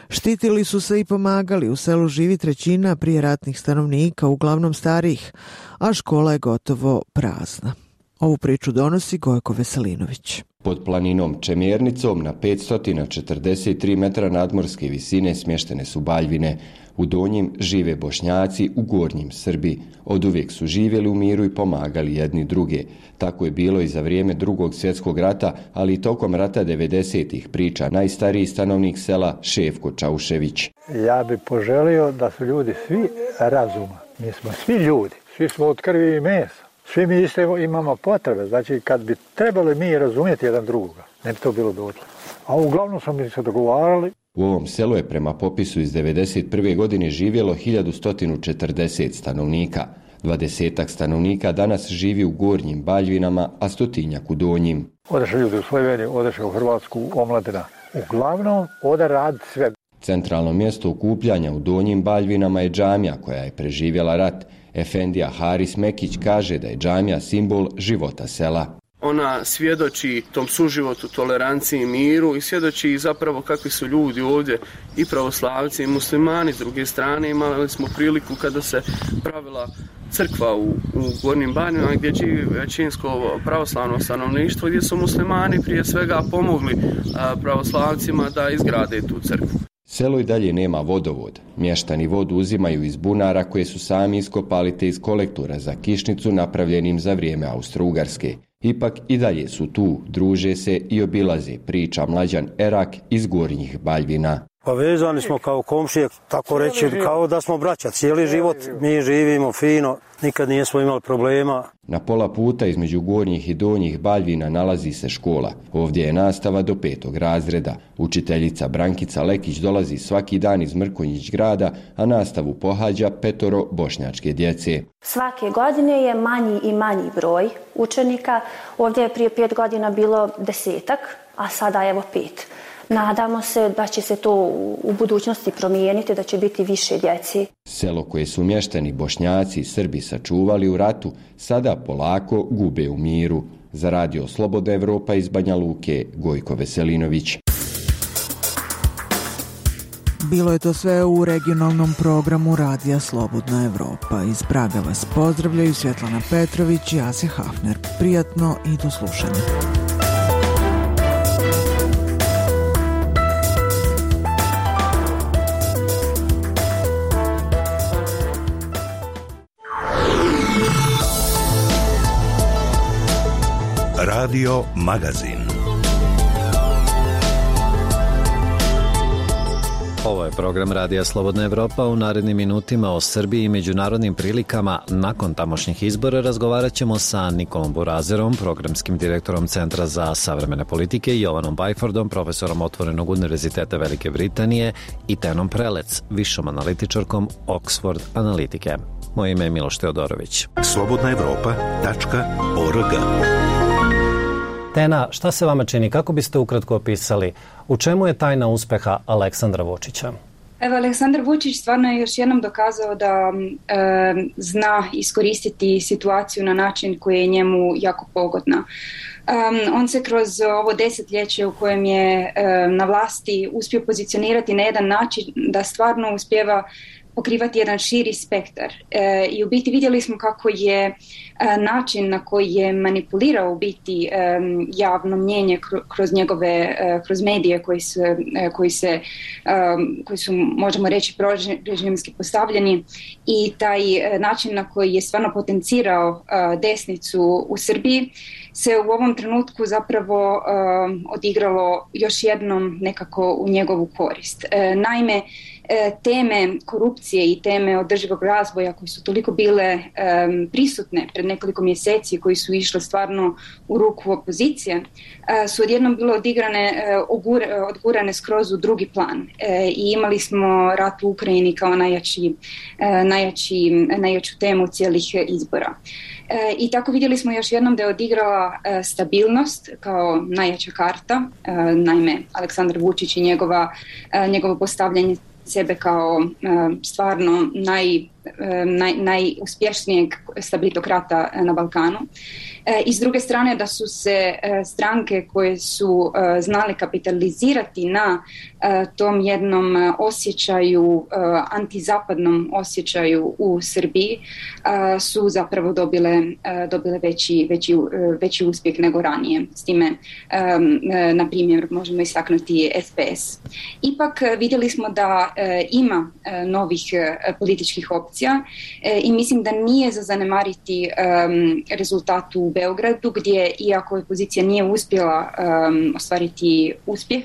Štitili su se i pomagali, u selu živi 1/3 prijeratnih stanovnika, uglavnom starijih, a škola je gotovo prazna. Ovu priču donosi Gojko Veselinović. Pod planinom Čemjernicom na 543 metra nadmorske visine smještene su Baljvine. U donjim žive Bošnjaci, u gornjim Srbi. Oduvijek su živjeli u miru i pomagali jedni druge. Tako je bilo i za vrijeme Drugog svjetskog rata, ali i tokom rata 90-ih, priča najstariji stanovnik sela Šefko Čaušević. Ja bih poželio da su ljudi svi razuma. Mi smo svi ljudi, svi smo od krvi i mesa. Svi mi isto imamo potrebe, znači kad bi trebali mi razumjeti jedan drugoga, ne bi to bilo dotle. A uglavnom smo mi se dogovarali. U ovom selu je prema popisu iz 1991. godine živjelo 1140 stanovnika. 20 stanovnika danas živi u gornjim Baljvinama, a 100 u donjim. Odeše ljudi u Sloveniju, odeše u Hrvatsku, omladina. Uglavnom ode rad sve. Centralno mjesto okupljanja u donjim Baljvinama je džamija koja je preživjela rat. Efendija Haris Mekić kaže da je džamija simbol života sela. Ona svjedoči tom suživotu, toleranciji, miru i svjedoči zapravo kakvi su ljudi ovdje, i pravoslavci i muslimani. S druge strane imali smo priliku kada se pravila crkva u Gornjim Baljvinama gdje živi većinsko pravoslavno stanovništvo, gdje su muslimani prije svega pomogli pravoslavcima da izgrade tu crkvu. Selo i dalje nema vodovod. Mještani vodu uzimaju iz bunara koje su sami iskopali te iz kolektora za kišnicu napravljenim za vrijeme Austro-Ugarske. Ipak i dalje su tu, druže se i obilaze, priča Mlađan Erak iz Gornjih Baljvina. Pa vezani smo kao komšije, tako reći, kao da smo braća. Cijeli život mi živimo fino, nikad nismo imali problema. Na pola puta između Gornjih i Donjih Baljvina nalazi se škola. Ovdje je nastava do 5. razreda. Učiteljica Brankica Lekić dolazi svaki dan iz Mrkonjić grada, a nastavu pohađa 5 bošnjačke djece. Svake godine je manji i manji broj učenika. Ovdje je prije 5 godina bilo 10, a sada evo 5. Nadamo se da će se to u budućnosti promijeniti, da će biti više djeci. Selo koje su mještani Bošnjaci i Srbi sačuvali u ratu, sada polako gube u miru. Za Radio Slobodna Evropa iz Banja Luke, Gojko Veselinović. Bilo je to sve u regionalnom programu Radija Slobodna Evropa. Iz Praga vas pozdravljaju Svjetlana Petrović i Asja Hafner. Prijatno i do slušanja. Radio Magazin. Ovo je program Radija Slobodna Evropa. U narednim minutima o Srbiji i međunarodnim prilikama nakon tamošnjih izbora razgovarat ćemo sa Nikolom Burazerom, programskim direktorom Centra za savremene politike, Jovanom Byfordom, profesorom Otvorenog univerziteta Velike Britanije i Tenom Prelec, višom analitičarkom Oxford analitike. Moje ime je Miloš Teodorović. slobodnaevropa.org. Tena, šta se vama čini? Kako biste ukratko opisali? U čemu je tajna uspeha Aleksandra Vučića? Evo, Aleksandar Vučić stvarno je još jednom dokazao da zna iskoristiti situaciju na način koji je njemu jako pogodna. On se kroz ovo desetljeće u kojem je na vlasti uspio pozicionirati na jedan način da stvarno uspijeva pokrivati jedan širi spektar. I u biti vidjeli smo kako je način na koji je manipulirao u biti javno mnjenje kroz medije koji su, možemo reći, prorežimski postavljeni, i taj način na koji je stvarno potencirao desnicu u Srbiji se u ovom trenutku zapravo odigralo još jednom nekako u njegovu korist. Naime, teme korupcije i teme održivog razvoja koji su toliko bile prisutne pred nekoliko mjeseci, koji su išle stvarno u ruku opozicije, su odjednom bile odgurane skroz u drugi plan. I imali smo rat u Ukrajini kao najjaču temu cijelih izbora. I tako vidjeli smo još jednom da je odigrala stabilnost kao najjača karta. Naime, Aleksandar Vučić i njegovo postavljanje sebe kao stvarno najuspješnijeg stabilitokrata na Balkanu. I s druge strane da su se stranke koje su znale kapitalizirati na tom jednom osjećaju, antizapadnom osjećaju u Srbiji, su zapravo dobile veći uspjeh nego ranije. S time, na primjer, možemo istaknuti SPS. Ipak vidjeli smo da ima novih političkih opcija i mislim da nije za zanemariti rezultat u Beogradu, gdje, iako opozicija nije uspjela ostvariti uspjeh,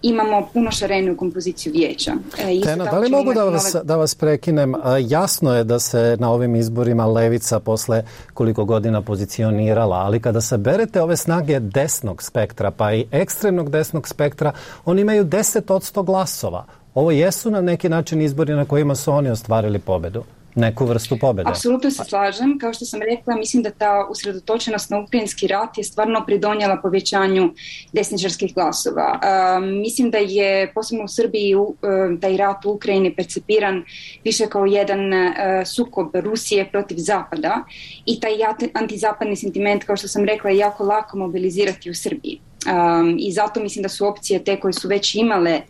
imamo puno šareniju kompoziciju vijeća. Tena, da li mogu da vas prekinem? Jasno je da se na ovim izborima levica posle koliko godina pozicionirala, ali kada saberete ove snage desnog spektra, pa i ekstremnog desnog spektra, oni imaju 10% glasova. Ovo jesu na neki način izbori na kojima su oni ostvarili pobedu. Neku vrstu pobjede. Apsolutno se slažem. Kao što sam rekla, mislim da ta usredotočenost na ukrajinski rat je stvarno pridonijela povećanju desničarskih glasova. Mislim da je posebno u Srbiji taj rat u Ukrajini percepiran više kao jedan sukob Rusije protiv Zapada, i taj antizapadni sentiment, kao što sam rekla, je jako lako mobilizirati u Srbiji. I zato mislim da su opcije te koje su već imale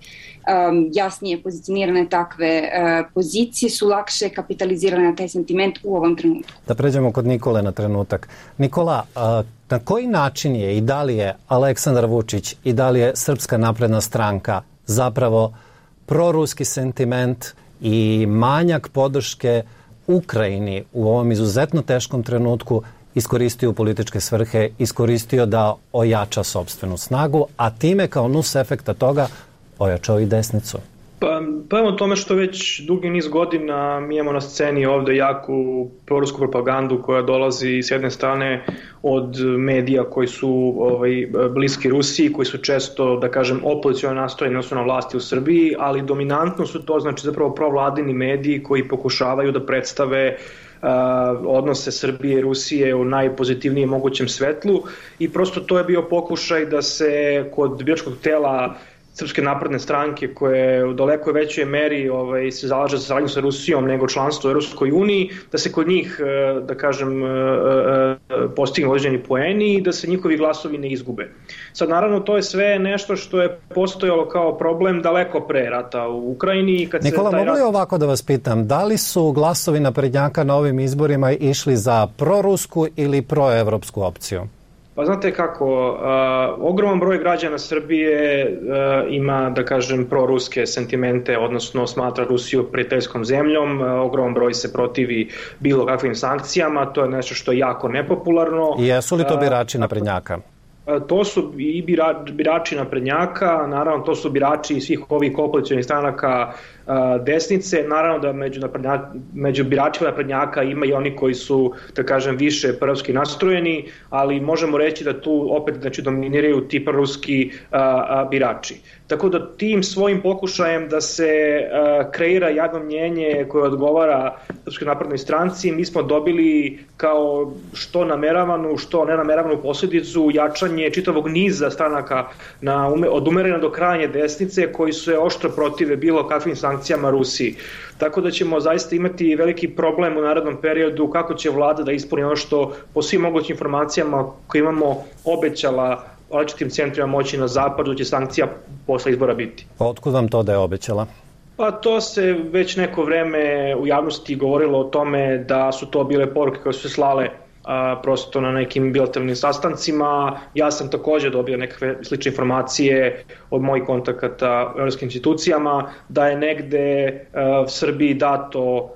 jasnije pozicionirane takve pozicije, su lakše kapitalizirane na taj sentiment u ovom trenutku. Da pređemo kod Nikole na trenutak. Nikola, na koji način je i da li je Aleksandar Vučić i da li je Srpska napredna stranka zapravo proruski sentiment i manjak podrške Ukrajini u ovom izuzetno teškom trenutku iskoristio u političke svrhe, iskoristio da ojača sopstvenu snagu, a time kao nus efekta toga ojačao i desnicu? Pa evo tome što već dugi niz godina mi imamo na sceni ovdje jaku prorusku propagandu koja dolazi s jedne strane od medija koji su bliski Rusiji, koji su često, da kažem, opoziciono nastrojeni odnosno na vlasti u Srbiji, ali dominantno su to, znači, zapravo provladini mediji koji pokušavaju da predstave odnose Srbije i Rusije u najpozitivnijem mogućem svetlu, i prosto to je bio pokušaj da se kod biračkog tela Srpske napredne stranke koje u daleko većoj meri se zalaže za saradnju sa Rusijom nego članstvo u Europskoj uniji, da se kod njih, da kažem, postignu određeni poeni i da se njihovi glasovi ne izgube. Sad, naravno, to je sve nešto što je postojalo kao problem daleko pre rata u Ukrajini. Nikola, mogu li ovako da vas pitam, da li su glasovi naprednjaka na ovim izborima išli za prorusku ili proevropsku opciju? Pa znate kako, ogroman broj građana Srbije ima, da kažem, proruske sentimente, odnosno smatra Rusiju prijateljskom zemljom, ogroman broj se protivi bilo kakvim sankcijama, to je nešto što je jako nepopularno. I jesu li to birači naprednjaka? To su i birači naprednjaka, naravno to su birači svih ovih koalicijonih stranaka desnice, naravno da među biračima naprednjaka ima i oni koji su, da kažem, više proruski nastrojeni, ali možemo reći da tu opet dominiraju ti proruski birači. Tako da tim svojim pokušajem da se kreira javno mnjenje koje odgovara Srpskoj naprednoj stranci, mi smo dobili kao što nameravanu, što nenameravanu posljedicu jačanje čitavog niza stranaka od umerene do krajnje desnice koji su se oštro protive bilo kakvim sankcijama Rusiji. Tako da ćemo zaista imati veliki problem u narednom periodu kako će vlada da ispuni ono što po svim mogućim informacijama koje imamo obećala različitim centrima moći na zapadu će sankcija posle izbora biti. Otkud vam to da je obećala? Pa to se već neko vreme u javnosti govorilo o tome da su to bile poruke koje su se slale prosto na nekim bilateralnim sastancima. Ja sam također dobio nekakve slične informacije od mojih kontakata u evropskim institucijama da je negde Srbiji dato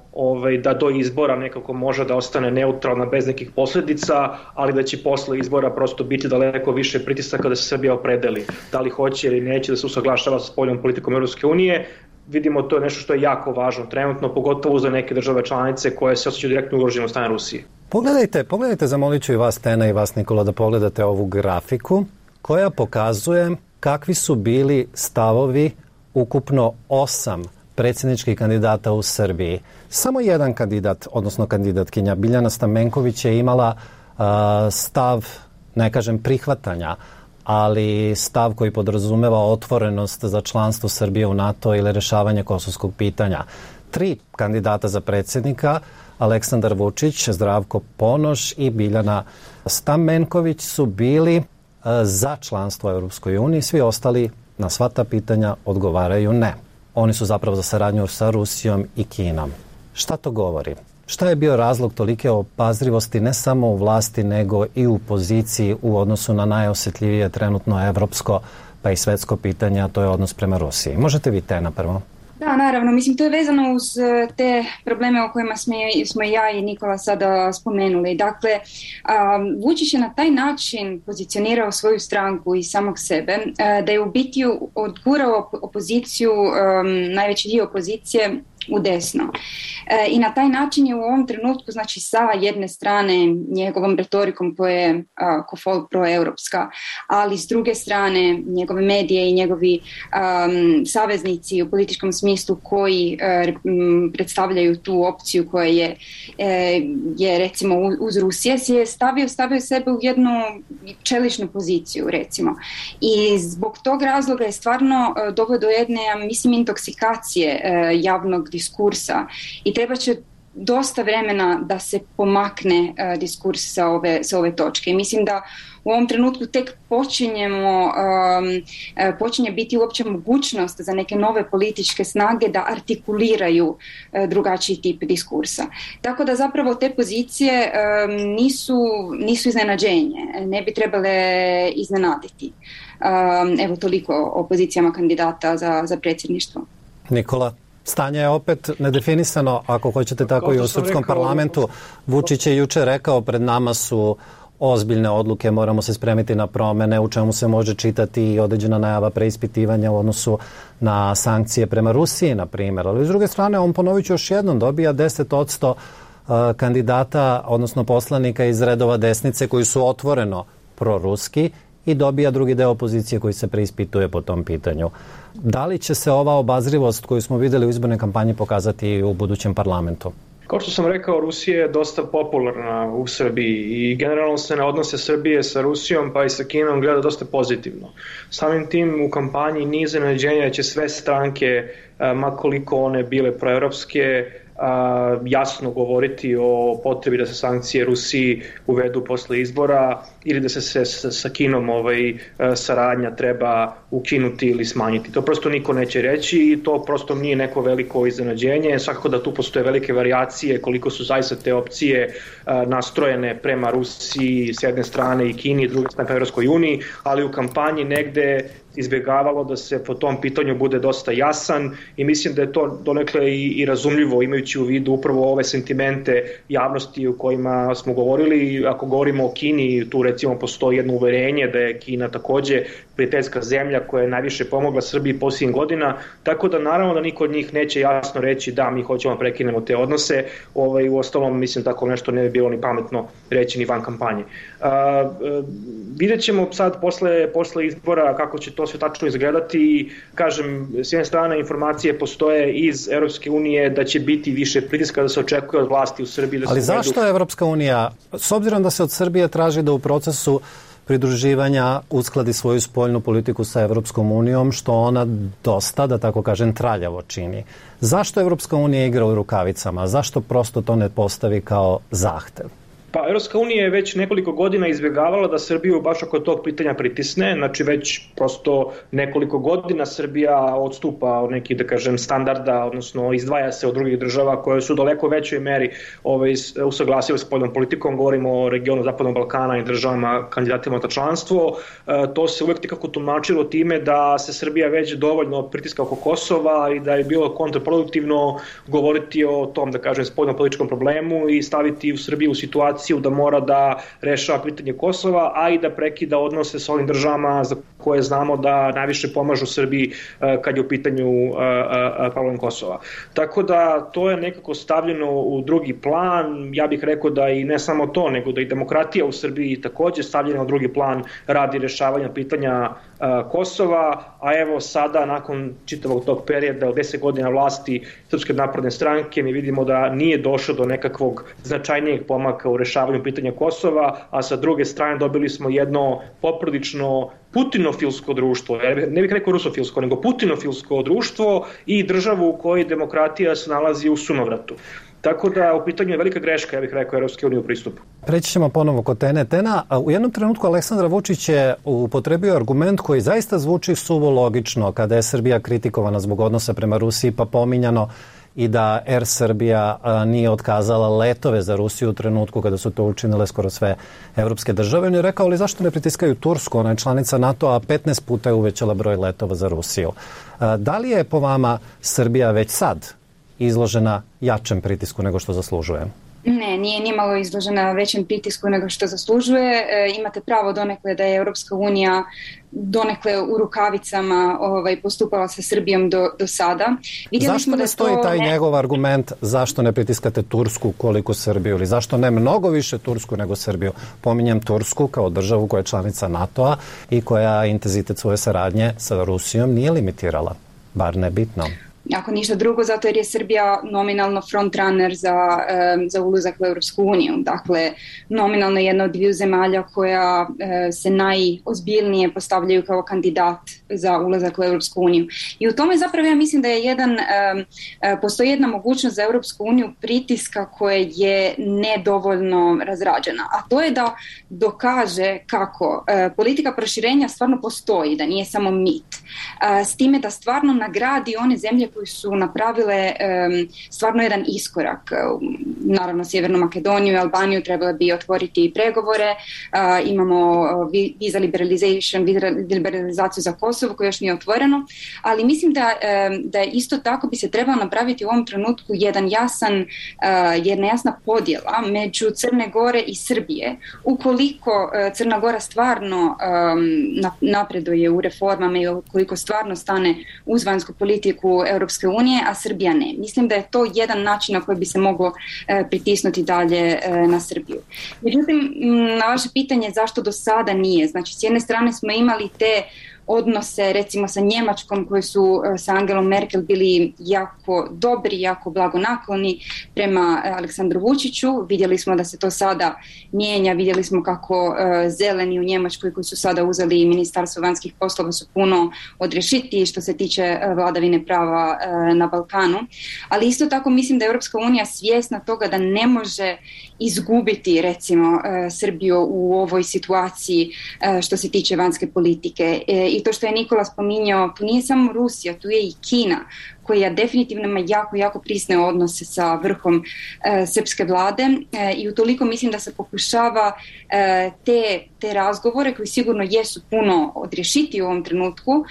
da do izbora nekako može da ostane neutralna bez nekih posljedica, ali da će posle izbora prosto biti daleko više pritisaka da se Srbija opredeli. Da li hoće ili neće da se usaglašava sa spoljnom politikom Europske unije. Vidimo, to je nešto što je jako važno trenutno, pogotovo za neke države članice koje se osjećaju direktno ugrožene od strane Rusije. Pogledajte, zamolit ću i vas, Tena, i vas, Nikola, da pogledate ovu grafiku koja pokazuje kakvi su bili stavovi ukupno 8 predsjedničkih kandidata u Srbiji. Samo jedan kandidat, odnosno kandidatkinja Biljana Stamenković je imala stav, ne kažem prihvatanja, ali stav koji podrazumeva otvorenost za članstvo Srbije u NATO ili rešavanje kosovskog pitanja. 3 kandidata za predsjednika, Aleksandar Vučić, Zdravko Ponoš i Biljana Stamenković su bili za članstvo u Europskoj uniji, svi ostali na sva ta pitanja odgovaraju ne. Oni su zapravo za saradnju sa Rusijom i Kinom. Šta to govori? Šta je bio razlog tolike obazrivosti ne samo u vlasti nego i u poziciji u odnosu na najosjetljivije trenutno evropsko pa i svetsko pitanje, a to je odnos prema Rusiji? Možete vi, Tena, prvo? Da, naravno. Mislim, to je vezano uz te probleme o kojima smo ja i Nikola sada spomenuli. Dakle, Vučić je na taj način pozicionirao svoju stranku i samog sebe, da je u biti odgurao opoziciju, najveći dio opozicije, u desno. I na taj način je u ovom trenutku, znači sa jedne strane njegovom retorikom koja je proeuropska, ali s druge strane njegove medije i njegovi saveznici u političkom smislu koji predstavljaju tu opciju koja je recimo uz Rusije, je stavio sebe u jednu čeličnu poziciju, recimo. I zbog tog razloga je stvarno doveo do jedne, mislim, intoksikacije javnog diskursa i treba će dosta vremena da se pomakne diskurs sa ove točke. I mislim da u ovom trenutku tek počinje biti uopće mogućnost za neke nove političke snage da artikuliraju drugačiji tip diskursa. Tako da zapravo te pozicije nisu iznenađenje, ne bi trebale iznenaditi. Evo toliko o pozicijama kandidata za predsjedništvo. Nikola? Stanje je opet nedefinisano, ako hoćete tako i u srpskom parlamentu. Vučić je juče rekao, pred nama su ozbiljne odluke, moramo se spremiti na promene, u čemu se može čitati i određena najava preispitivanja u odnosu na sankcije prema Rusiji, na primjer. Ali s druge strane, on, ponovit ću još jednom, dobija 10% kandidata, odnosno poslanika iz redova desnice koji su otvoreno proruski i dobija drugi deo opozicije koji se preispituje po tom pitanju. Da li će se ova obazrivost koju smo vidjeli u izbornoj kampanji pokazati i u budućem parlamentu? Kao što sam rekao, Rusija je dosta popularna u Srbiji i generalno se na odnose Srbije sa Rusijom pa i sa Kinom gleda dosta pozitivno. Samim tim u kampanji nije iznenađenje da će sve stranke, ma koliko one bile proevropske, jasno govoriti o potrebi da se sankcije Rusiji uvedu posle izbora ili da se sa Kinom saradnja treba ukinuti ili smanjiti. To prosto niko neće reći i to prosto nije neko veliko iznenađenje. Svakako da tu postoje velike varijacije koliko su zaista te opcije nastrojene prema Rusiji s jedne strane i Kini i druge strane prema Evropskoj uniji, ali u kampanji negde izbjegavalo da se po tom pitanju bude dosta jasan i mislim da je to donekle i razumljivo imajući u vidu upravo ove sentimente javnosti o kojima smo govorili. Ako govorimo o Kini, tu recimo postoji jedno uverenje da je Kina takođe prijateljska zemlja koja je najviše pomogla Srbiji posljednjih godina, tako da naravno da niko od njih neće jasno reći da mi hoćemo da prekinemo te odnose. U ostalom mislim tako nešto ne bi bilo ni pametno reći ni van kampanje. Vidjet ćemo sad posle izbora kako će to sve tačno izgledati i kažem, s jedne strane informacije postoje iz Evropske unije da će biti više pritiska da se očekuje od vlasti u Srbiji. Ali zašto Evropska unija, s obzirom da se od Srbije traži da u procesu pridruživanja uskladi svoju spoljnu politiku sa Evropskom unijom, što ona dosta, da tako kažem, traljavo čini. Zašto Evropska unija igra u rukavicama? Zašto prosto to ne postavi kao zahtev? Pa Evropska unija je već nekoliko godina izbjegavala da Srbiju baš oko tog pitanja pritisne, znači već prosto nekoliko godina Srbija odstupa od nekih, da kažem, standarda, odnosno izdvaja se od drugih država koje su daleko većoj meri usaglasile s spoljnom politikom, govorimo o regionu Zapadnog Balkana i državama kandidatima za članstvo. To se uvek nekako tumačilo time da se Srbija već dovoljno pritiska oko Kosova i da je bilo kontraproduktivno govoriti o tom, da kažem, spoljnom političkom problemu i staviti u Srbiju u situaciju da mora da rešava pitanje Kosova, a i da prekida odnose sa ovim državama za koje znamo da najviše pomažu Srbiji kad je u pitanju problem Kosova. Tako da to je nekako stavljeno u drugi plan. Ja bih rekao da i ne samo to, nego da i demokratija u Srbiji takođe stavljena u drugi plan radi rešavanja pitanja Kosova, a evo sada nakon čitavog tog perioda od 10 godina vlasti Srpske napredne stranke mi vidimo da nije došlo do nekakvog značajnijeg pomaka u rešavanju pitanja Kosova, a sa druge strane dobili smo jedno poprilično putinofilsko društvo, ne bih rekao rusofilsko, nego putinofilsko društvo i državu u kojoj demokratija se nalazi u sunovratu. Tako da u pitanju je velika greška, ja bih rekao, Evropske unije u pristupu. Preći ćemo ponovo kod Tene. Tena, u jednom trenutku Aleksandar Vučić je upotrebio argument koji zaista zvuči suvo logično kada je Srbija kritikovana zbog odnosa prema Rusiji, pa pominjano i da Air Srbija nije otkazala letove za Rusiju u trenutku kada su to učinile skoro sve evropske države. On je rekao, ali zašto ne pritiskaju Tursku, ona je članica NATO, a 15 puta je uvećala broj letova za Rusiju. Da li je po vama Srbija već sad izložena jačem pritisku nego što zaslužuje? Ne, nije nimalo izložena većem pritisku nego što zaslužuje. Imate pravo donekle da je Europska unija donekle u rukavicama postupala sa Srbijom do sada. Zašto ne stoji taj njegov argument zašto ne pritiskate Tursku koliko Srbiju ili zašto ne mnogo više Tursku nego Srbiju? Pominjem Tursku kao državu koja je članica NATO-a i koja intenzitet svoje saradnje sa Rusijom nije limitirala, bar ne bitno. Ako ništa drugo, zato jer je Srbija nominalno frontrunner za ulazak u Europsku uniju. Dakle, nominalno jedna od dviju zemalja koja se najozbiljnije postavljaju kao kandidat za ulazak u Europsku uniju. I u tome zapravo ja mislim da je postoji jedna mogućnost za Europsku uniju pritiska koja je nedovoljno razrađena. A to je da dokaže kako politika proširenja stvarno postoji, da nije samo mit. S time da stvarno nagradi one zemlje koji su napravile stvarno jedan iskorak. Naravno, Sjevernu Makedoniju i Albaniju trebalo bi otvoriti pregovore. Imamo visa liberalizaciju za Kosovo koje još nije otvoreno, ali mislim da isto tako bi se trebalo napraviti u ovom trenutku jedna jasna podjela među Crne Gore i Srbije. Ukoliko Crna Gora stvarno napreduje u reformama i ukoliko stvarno stane uz vanjsku politiku Europske unije, a Srbija ne. Mislim da je to jedan način na koji bi se moglo pritisnuti dalje na Srbiju. Međutim, na vaše pitanje zašto do sada nije. Znači, s jedne strane smo imali te odnose recimo sa Njemačkom koji su sa Angelom Merkel bili jako dobri, jako blagonakloni prema Aleksandru Vučiću. Vidjeli smo da se to sada mijenja, vidjeli smo kako zeleni u Njemačkoj koji su sada uzeli Ministarstvo vanjskih poslova su puno odrješitiji što se tiče vladavine prava na Balkanu. Ali isto tako mislim da je Europska unija svjesna toga da ne može izgubiti recimo Srbiju u ovoj situaciji što se tiče vanjske politike. I to što je Nikola spominjao, tu nije samo Rusija, tu je i Kina koja definitivno ima jako prisne odnose sa vrhom srpske vlade i utoliko mislim da se pokušava te razgovore koji sigurno jesu puno odrješiti u ovom trenutku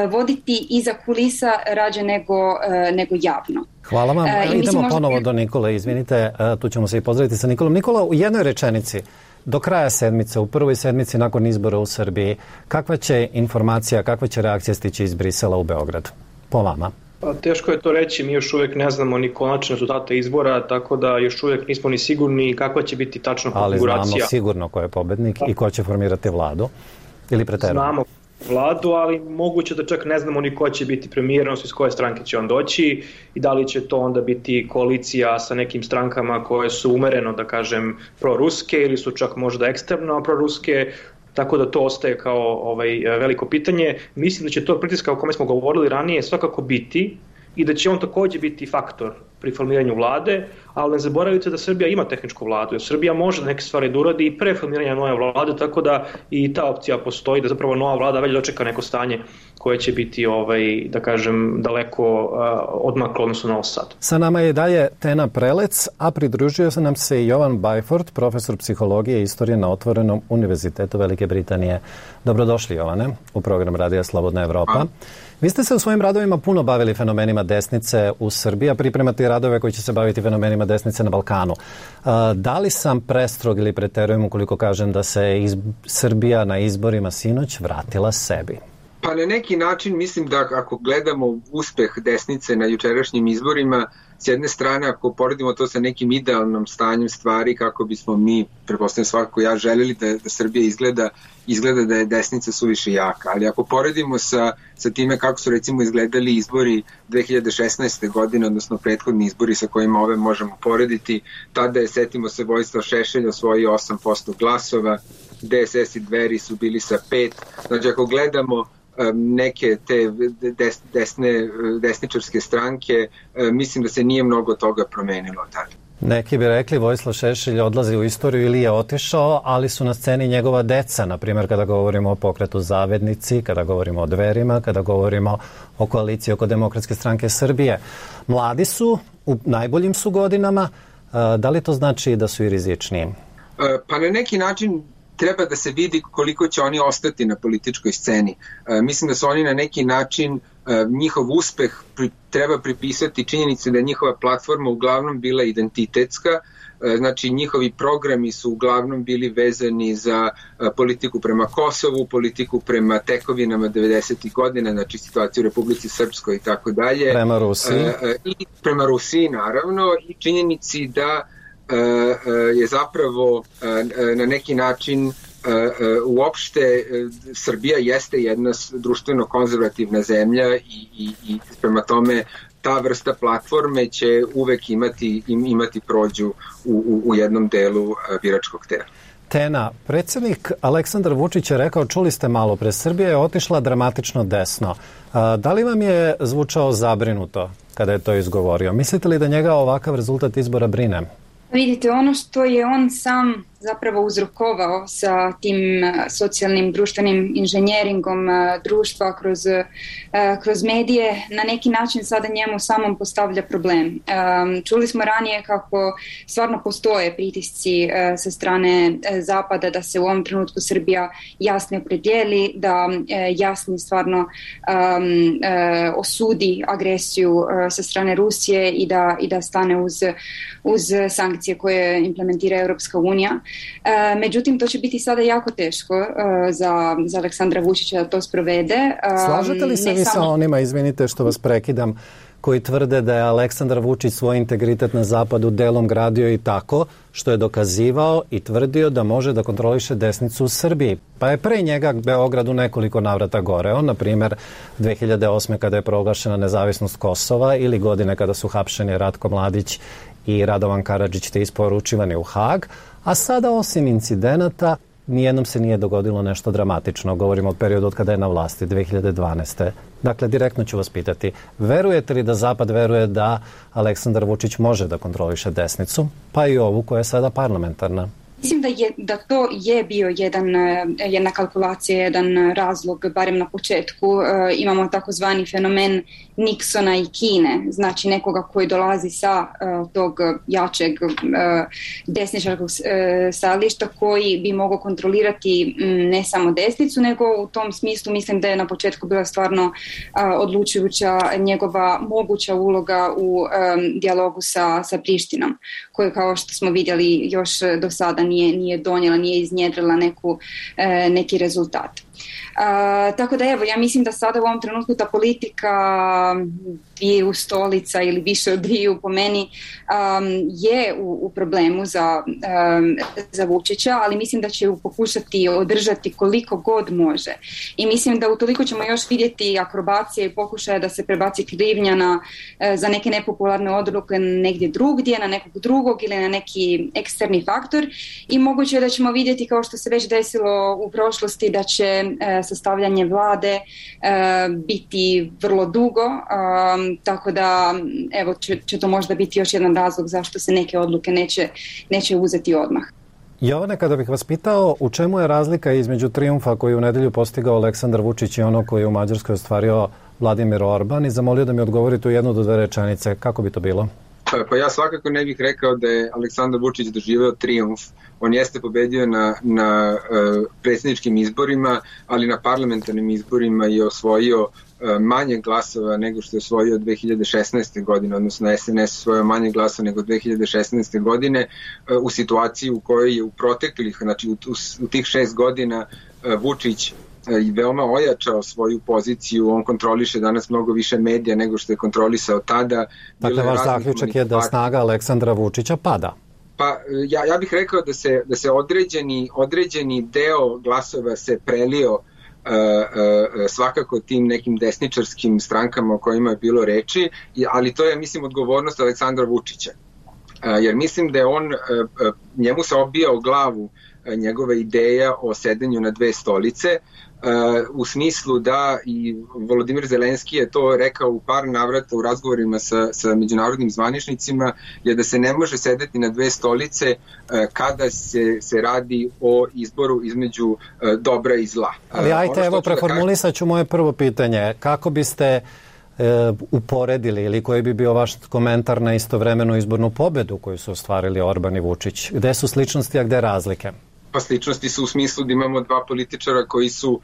voditi iza kulisa rađe nego javno. Hvala vam. Idemo ponovo do Nikole, izvinite, tu ćemo se i pozdraviti sa Nikolom. Nikola, u jednoj rečenici, do kraja sedmice, u prvoj sedmici nakon izbora u Srbiji, kakva će informacija, kakva će reakcija stići iz Brisela u Beograd? Po vama. Teško je to reći, mi još uvijek ne znamo ni konačne rezultate izbora, tako da još uvijek nismo ni sigurni kakva će biti tačna konfiguracija. Ali znamo sigurno ko je pobednik i ko će formirati vladu, ili preterano? Znamo vladu, ali moguće da čak ne znamo ni ko će biti premijer, odnosno iz koje stranke će on doći i da li će to onda biti koalicija sa nekim strankama koje su umereno, da kažem, proruske ili su čak možda ekstremno proruske. Tako da to ostaje kao veliko pitanje. Mislim da će to pritiska o kome smo govorili ranije svakako biti i da će on također biti faktor pri formiranju vlade, ali ne zaboravite da Srbija ima tehničku vladu, jer Srbija može neke stvari da uradi i pre formiranja nove vlade, tako da i ta opcija postoji, da zapravo nova vlada već dočeka neko stanje koje će biti, da kažem, daleko odmaklo odnosno na Sad. Sa nama je dalje Tena Prelec, a pridružio se nam se i Jovan Byford, profesor psihologije i istorije na Otvorenom univerzitetu Velike Britanije. Dobrodošli, Jovane, u program Radija Slobodna Evropa. Vi ste se u svojim radovima puno bavili fenomenima desnice u Srbiji, a pripremate radove koji će se baviti fenomenima desnice na Balkanu. Da li sam prestrog ili preterujem ukoliko kažem da se Srbija na izborima sinoć vratila sebi? Pa na neki način mislim da ako gledamo uspeh desnice na jučerašnjim izborima, s jedne strane ako poredimo to sa nekim idealnom stanjem stvari kako bismo mi, pretpostavljam svakako ja, željeli da Srbija izgleda da je desnica suviše jaka, ali ako poredimo sa time kako su recimo izgledali izbori 2016. godine, odnosno prethodni izbori sa kojima ove možemo porediti, tada je, setimo se, Vojislav Šešelj osvojio 8% glasova, DSS i Dveri su bili sa 5%, znači ako gledamo neke te desničarske stranke, mislim da se nije mnogo toga promenilo tada. Neki bi rekli Vojislav Šešelj odlazi u istoriju ili je otišao, ali su na sceni njegova deca, na primjer kada govorimo o pokretu Zavednici, kada govorimo o Dverima, kada govorimo o koaliciji oko Demokratske stranke Srbije. Mladi su, u najboljim su godinama, da li to znači da su i rizičniji? Pa na neki način treba da se vidi koliko će oni ostati na političkoj sceni. Mislim da su oni na neki način, njihov uspeh treba pripisati činjenici da je njihova platforma uglavnom bila identitetska, znači njihovi programi su uglavnom bili vezani za politiku prema Kosovu, politiku prema tekovinama 90. godina, znači situaciju u Republici Srpskoj i tako dalje. Prema Rusiji. I prema Rusiji naravno i činjenici da je zapravo na neki način uopšte Srbija jeste jedna društveno konzervativna zemlja i prema tome ta vrsta platforme će uvek imati prođu u jednom delu biračkog tela. Tena, predsjednik Aleksandar Vučić je rekao, čuli ste malo pre, Srbija je otišla dramatično desno. Da li vam je zvučao zabrinuto kada je to izgovorio? Mislite li da njega ovakav rezultat izbora brine? Vidite, ono što je on sam zapravo uzrokovao sa tim socijalnim društvenim inženjeringom društva kroz medije, na neki način sada njemu samom postavlja problem. Čuli smo ranije kako stvarno postoje pritisci sa strane Zapada da se u ovom trenutku Srbija jasno opredijeli, da jasno stvarno osudi agresiju sa strane Rusije i da stane uz sankcije koje implementira Europska unija. Međutim, to će biti sada jako teško za Aleksandra Vučića da to sprovede. Slažete li se vi sa onima, izvinite što vas prekidam, koji tvrde da je Aleksandar Vučić svoj integritet na zapadu delom gradio i tako što je dokazivao i tvrdio da može da kontroliše desnicu u Srbiji. Pa je pre njega Beograd u nekoliko navrata goreo, na primjer 2008. kada je proglašena nezavisnost Kosova ili godine kada su hapšeni Ratko Mladić i Radovan Karadžić te isporučivani u Hag, a sada osim incidenata nijednom se nije dogodilo nešto dramatično. Govorimo o periodu od kada je na vlasti, 2012. Dakle, direktno ću vas pitati, verujete li da Zapad veruje da Aleksandar Vučić može da kontroliše desnicu, pa i ovu koja je sada parlamentarna? Mislim da to je bio jedna kalkulacija, jedan razlog, barem na početku. Imamo takozvani fenomen Nixona i Kine, znači nekoga koji dolazi sa tog jačeg desničarskog stajališta koji bi mogao kontrolirati ne samo desnicu, nego u tom smislu mislim da je na početku bila stvarno odlučujuća njegova moguća uloga u dijalogu sa Prištinom, koju kao što smo vidjeli još do sada nije donijela, nije iznjedrila neki rezultat. Tako da evo, ja mislim da sada u ovom trenutku ta politika dviju stolica ili više od dviju po meni je u problemu za Vučića, ali mislim da će ju pokušati održati koliko god može. I mislim da utoliko ćemo još vidjeti akrobacije i pokušaje da se prebaci krivnja za neke nepopularne odluke negdje drugdje, na nekog drugog ili na neki eksterni faktor, i moguće je da ćemo vidjeti, kao što se već desilo u prošlosti, da će sastavljanje vlade biti vrlo dugo, tako da evo će to možda biti još jedan razlog zašto se neke odluke neće uzeti odmah. Jovane, kada bih vas pitao u čemu je razlika između trijumfa koji u nedelju postigao Aleksandar Vučić i ono koji je u Mađarskoj ostvario Vladimir Orban, i zamolio da mi odgovorite u 1 do 2 rečenice, kako bi to bilo? Pa ja svakako ne bih rekao da je Aleksandar Vučić doživeo trijumf. On jeste pobedio na predsjedničkim izborima, ali na parlamentarnim izborima je osvojio manje glasova nego što je osvojio 2016. godine, odnosno SNS osvojio manje glasova nego 2016. godine, u situaciji u kojoj je u proteklih, znači u tih 6 godina Vučić i veoma ojačao svoju poziciju. On kontroliše danas mnogo više medija nego što je kontrolisao tada. Dakle, vaš zaključak je da snaga Aleksandra Vučića pada? Pa ja bih rekao da se određeni deo glasova se prelio svakako tim nekim desničarskim strankama o kojima je bilo reči, ali to je, mislim, odgovornost Aleksandra Vučića. Jer mislim da je njemu se obija o glavu njegova ideja o sedenju na 2 stolice, u smislu da i Volodimir Zelenski je to rekao u par navrata u razgovorima sa međunarodnim zvaničnicima, je da se ne može sedeti na 2 stolice kada se radi o izboru između dobra i zla. Ali ajte, evo, preformulisat ću moje prvo pitanje. Kako biste uporedili ili koji bi bio vaš komentar na istovremenu izbornu pobedu koju su ostvarili Orban i Vučić? Gde su sličnosti, a gde razlike? Pa sličnosti su u smislu da imamo 2 političara koji su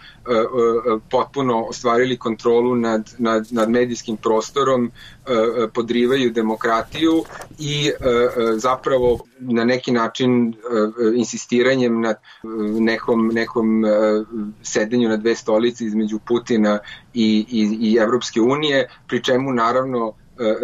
potpuno ostvarili kontrolu nad medijskim prostorom, podrivaju demokratiju i zapravo na neki način insistiranjem na nekom sedenju na 2 stolice između Putina i Evropske unije, pri čemu naravno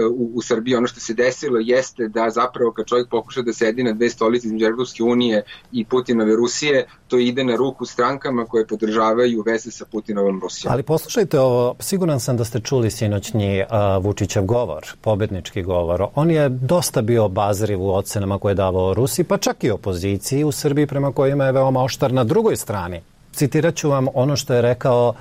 u Srbiji ono što se desilo jeste da zapravo kad čovjek pokuša da sedi na 2 stolice između Evropske unije i Putinove Rusije, to ide na ruku strankama koje podržavaju veze sa Putinovom Rusijom. Ali poslušajte ovo, siguran sam da ste čuli sinoćnji Vučićev govor, pobednički govor. On je dosta bio obazriv u ocenama koje je davao Rusiji, pa čak i opoziciji u Srbiji, prema kojima je veoma oštar na drugoj strani. Citirat ću vam ono što je rekao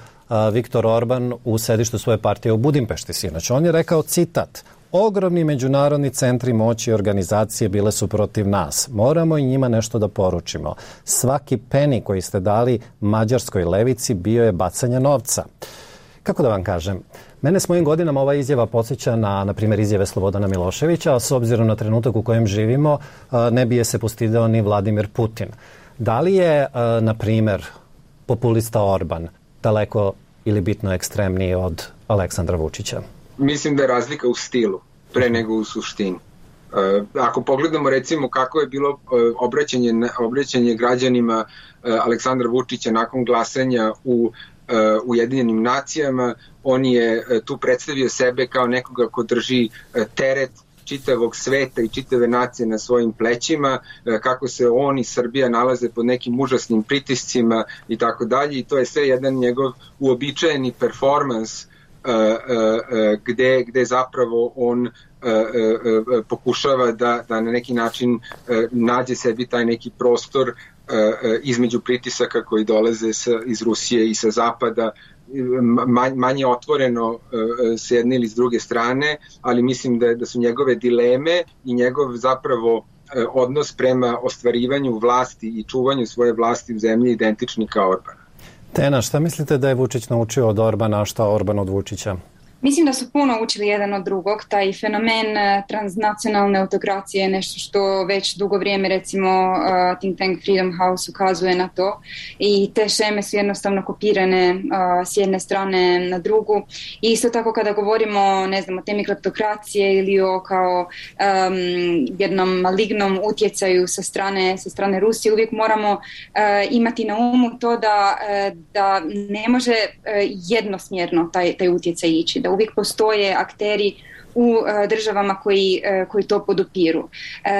Viktor Orban u sedištu svoje partije u Budimpešti sinoć. On je rekao, citat: "Ogromni međunarodni centri moći i organizacije bile su protiv nas. Moramo i njima nešto da poručimo. Svaki peni koji ste dali mađarskoj levici bio je bacanje novca." Kako da vam kažem? Mene s mojim godinama ova izjava podsjeća na primjer, izjave Slobodana Miloševića, a s obzirom na trenutak u kojem živimo, ne bi je se postidao ni Vladimir Putin. Da li je, na primjer, populista Orban daleko ili bitno ekstremniji od Aleksandra Vučića? Mislim da je razlika u stilu, pre nego u suštini. Ako pogledamo recimo kako je bilo obraćanje građanima Aleksandra Vučića nakon glasanja u Ujedinjenim nacijama. On je tu predstavio sebe kao nekoga ko drži teret čitavog sveta i čitave nacije na svojim plećima, kako se on i Srbija nalaze pod nekim užasnim pritiscima i tako dalje, i to je sve jedan njegov uobičajeni performans gde zapravo on pokušava da na neki način nađe sebi taj neki prostor između pritisaka koji dolaze iz Rusije i sa zapada, manje otvoreno s jedne ili s druge strane, ali mislim da su njegove dileme i njegov zapravo odnos prema ostvarivanju vlasti i čuvanju svoje vlasti u zemlji identični kao Orbana. Tena, šta mislite da je Vučić naučio od Orbana, a šta Orban od Vučića? Mislim da su puno učili jedan od drugog. Taj fenomen transnacionalne autokracije je nešto što već dugo vrijeme, recimo think tank Freedom House ukazuje na to, i te šeme su jednostavno kopirane s jedne strane na drugu. I isto tako kada govorimo, ne znam, o temi kleptokracije ili o kao jednom malignom utjecaju sa strane Rusije, uvijek moramo imati na umu to da ne može jednosmjerno taj utjecaj ići, da uvijek postoje akteri u državama koji to podupiru.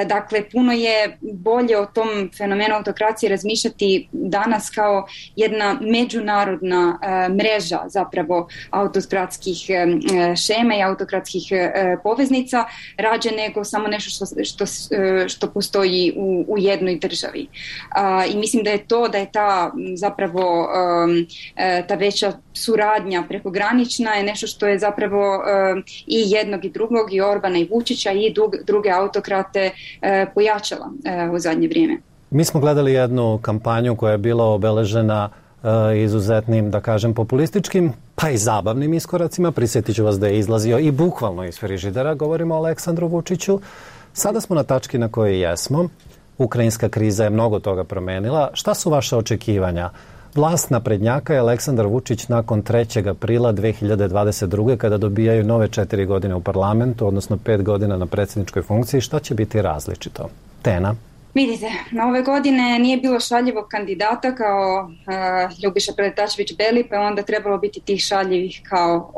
Dakle, puno je bolje o tom fenomenu autokracije razmišljati danas kao jedna međunarodna mreža zapravo autokratskih šema i autokratskih poveznica, rađe nego samo nešto što postoji u jednoj državi. I mislim da je ta zapravo ta veća suradnja prekogranična je nešto što je zapravo i jednog i drugog, i Orbana i Vučića i druge autokrate pojačala u zadnje vrijeme. Mi smo gledali jednu kampanju koja je bila obeležena izuzetnim, da kažem, populističkim, pa i zabavnim iskoracima. Prisjetit ću vas da je izlazio i bukvalno iz frižidera, govorimo o Aleksandru Vučiću. Sada smo na tački na kojoj jesmo. Ukrajinska kriza je mnogo toga promenila. Šta su vaše očekivanja? Vlast naprednjaka je Aleksandar Vučić nakon 3. aprila 2022. kada dobijaju nove 4 godine u parlamentu, odnosno 5 godina na predsjedničkoj funkciji. Šta će biti različito? Tena? Vidite, na ove godine nije bilo šaljivog kandidata kao Ljubiša Preletačević-Beli, pa je onda trebalo biti tih šaljivih kao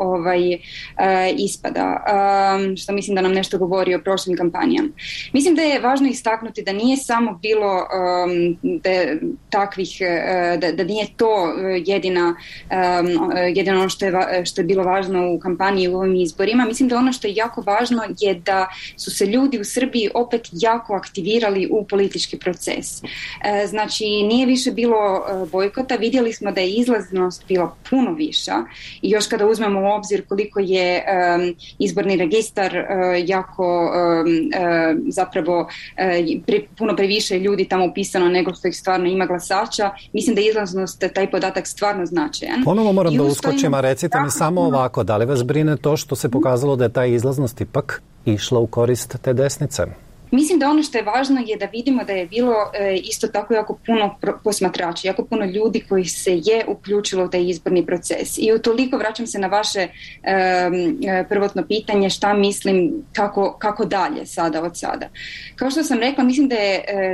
ispada, što mislim da nam nešto govori o prošlim kampanjama. Mislim da je važno istaknuti da nije samo bilo takvih, da nije to jedino ono što je bilo važno u kampanji i u ovim izborima. Mislim da ono što je jako važno je da su se ljudi u Srbiji opet jako aktivirali u politički proces. Znači, nije više bilo bojkota, vidjeli smo da je izlaznost bila puno viša, i još kada uzmemo u obzir koliko je izborni registar jako zapravo puno previše ljudi tamo upisano nego što ih stvarno ima glasača, mislim da je izlaznost, taj podatak stvarno značajan. Ponovo moram da uskočim, a recite mi samo ovako, da li vas brine to što se pokazalo da je ta izlaznost ipak išla u korist te desnice? Mislim da ono što je važno je da vidimo da je bilo isto tako jako puno posmatrača, jako puno ljudi koji se je uključilo u taj izborni proces. I utoliko vraćam se na vaše prvotno pitanje šta mislim kako dalje sada od sada. Kao što sam rekla, mislim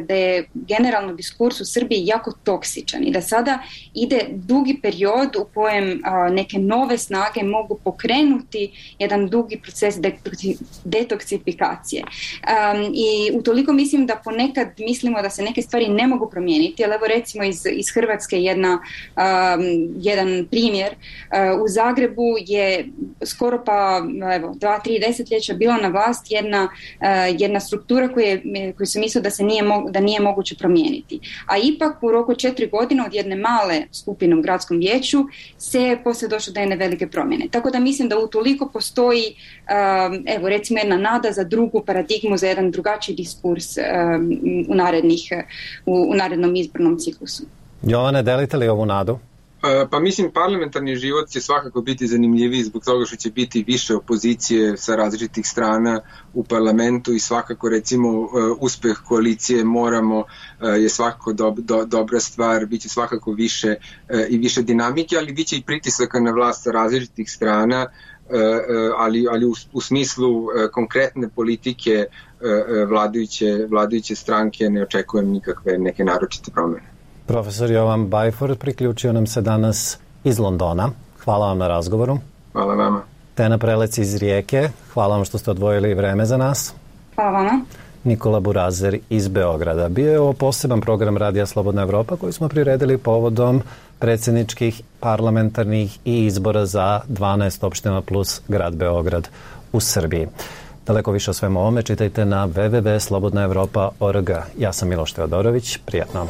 da je generalno diskurs u Srbiji jako toksičan i da sada ide dugi period u kojem neke nove snage mogu pokrenuti jedan dugi proces detoksifikacije. I utoliko mislim da ponekad mislimo da se neke stvari ne mogu promijeniti, ali evo recimo iz Hrvatske jedan primjer. U Zagrebu je skoro pa 2-3 desetljeća bila na vlast jedna struktura koju se mislila da nije moguće promijeniti. A ipak u roku 4 godine od jedne male skupine u gradskom vijeću se poslije došlo do jedne velike promjene. Tako da mislim da utoliko postoji recimo jedna nada za drugu paradigmu, za jedan drugačiji diskurs u narednom izbornom ciklusu. Jovane, delite li ovu nadu? Pa mislim, parlamentarni život će svakako biti zanimljiviji zbog toga što će biti više opozicije sa različitih strana u parlamentu i svakako recimo uspeh koalicije Moramo je svakako dobra stvar, bit će svakako više i više dinamike, ali bit će i pritisaka na vlast sa različitih strana, ali u smislu konkretne politike vladajuće stranke ne očekujem nikakve neke naročite promjene. Profesor Jovan Bajfor priključio nam se danas iz Londona, hvala vam na razgovoru. Hvala vama. Tena Prelec iz Rijeke, hvala vam što ste odvojili vreme za nas. Hvala vama. Nikola Burazer iz Beograda. Bio je ovo poseban program Radija Slobodna Evropa koji smo priredili povodom predsjedničkih, parlamentarnih i izbora za 12 opština plus grad Beograd u Srbiji. Daleko više o svemu ovome čitajte na www.slobodnaevropa.org. Ja sam Miloš Teodorović. Prijatno.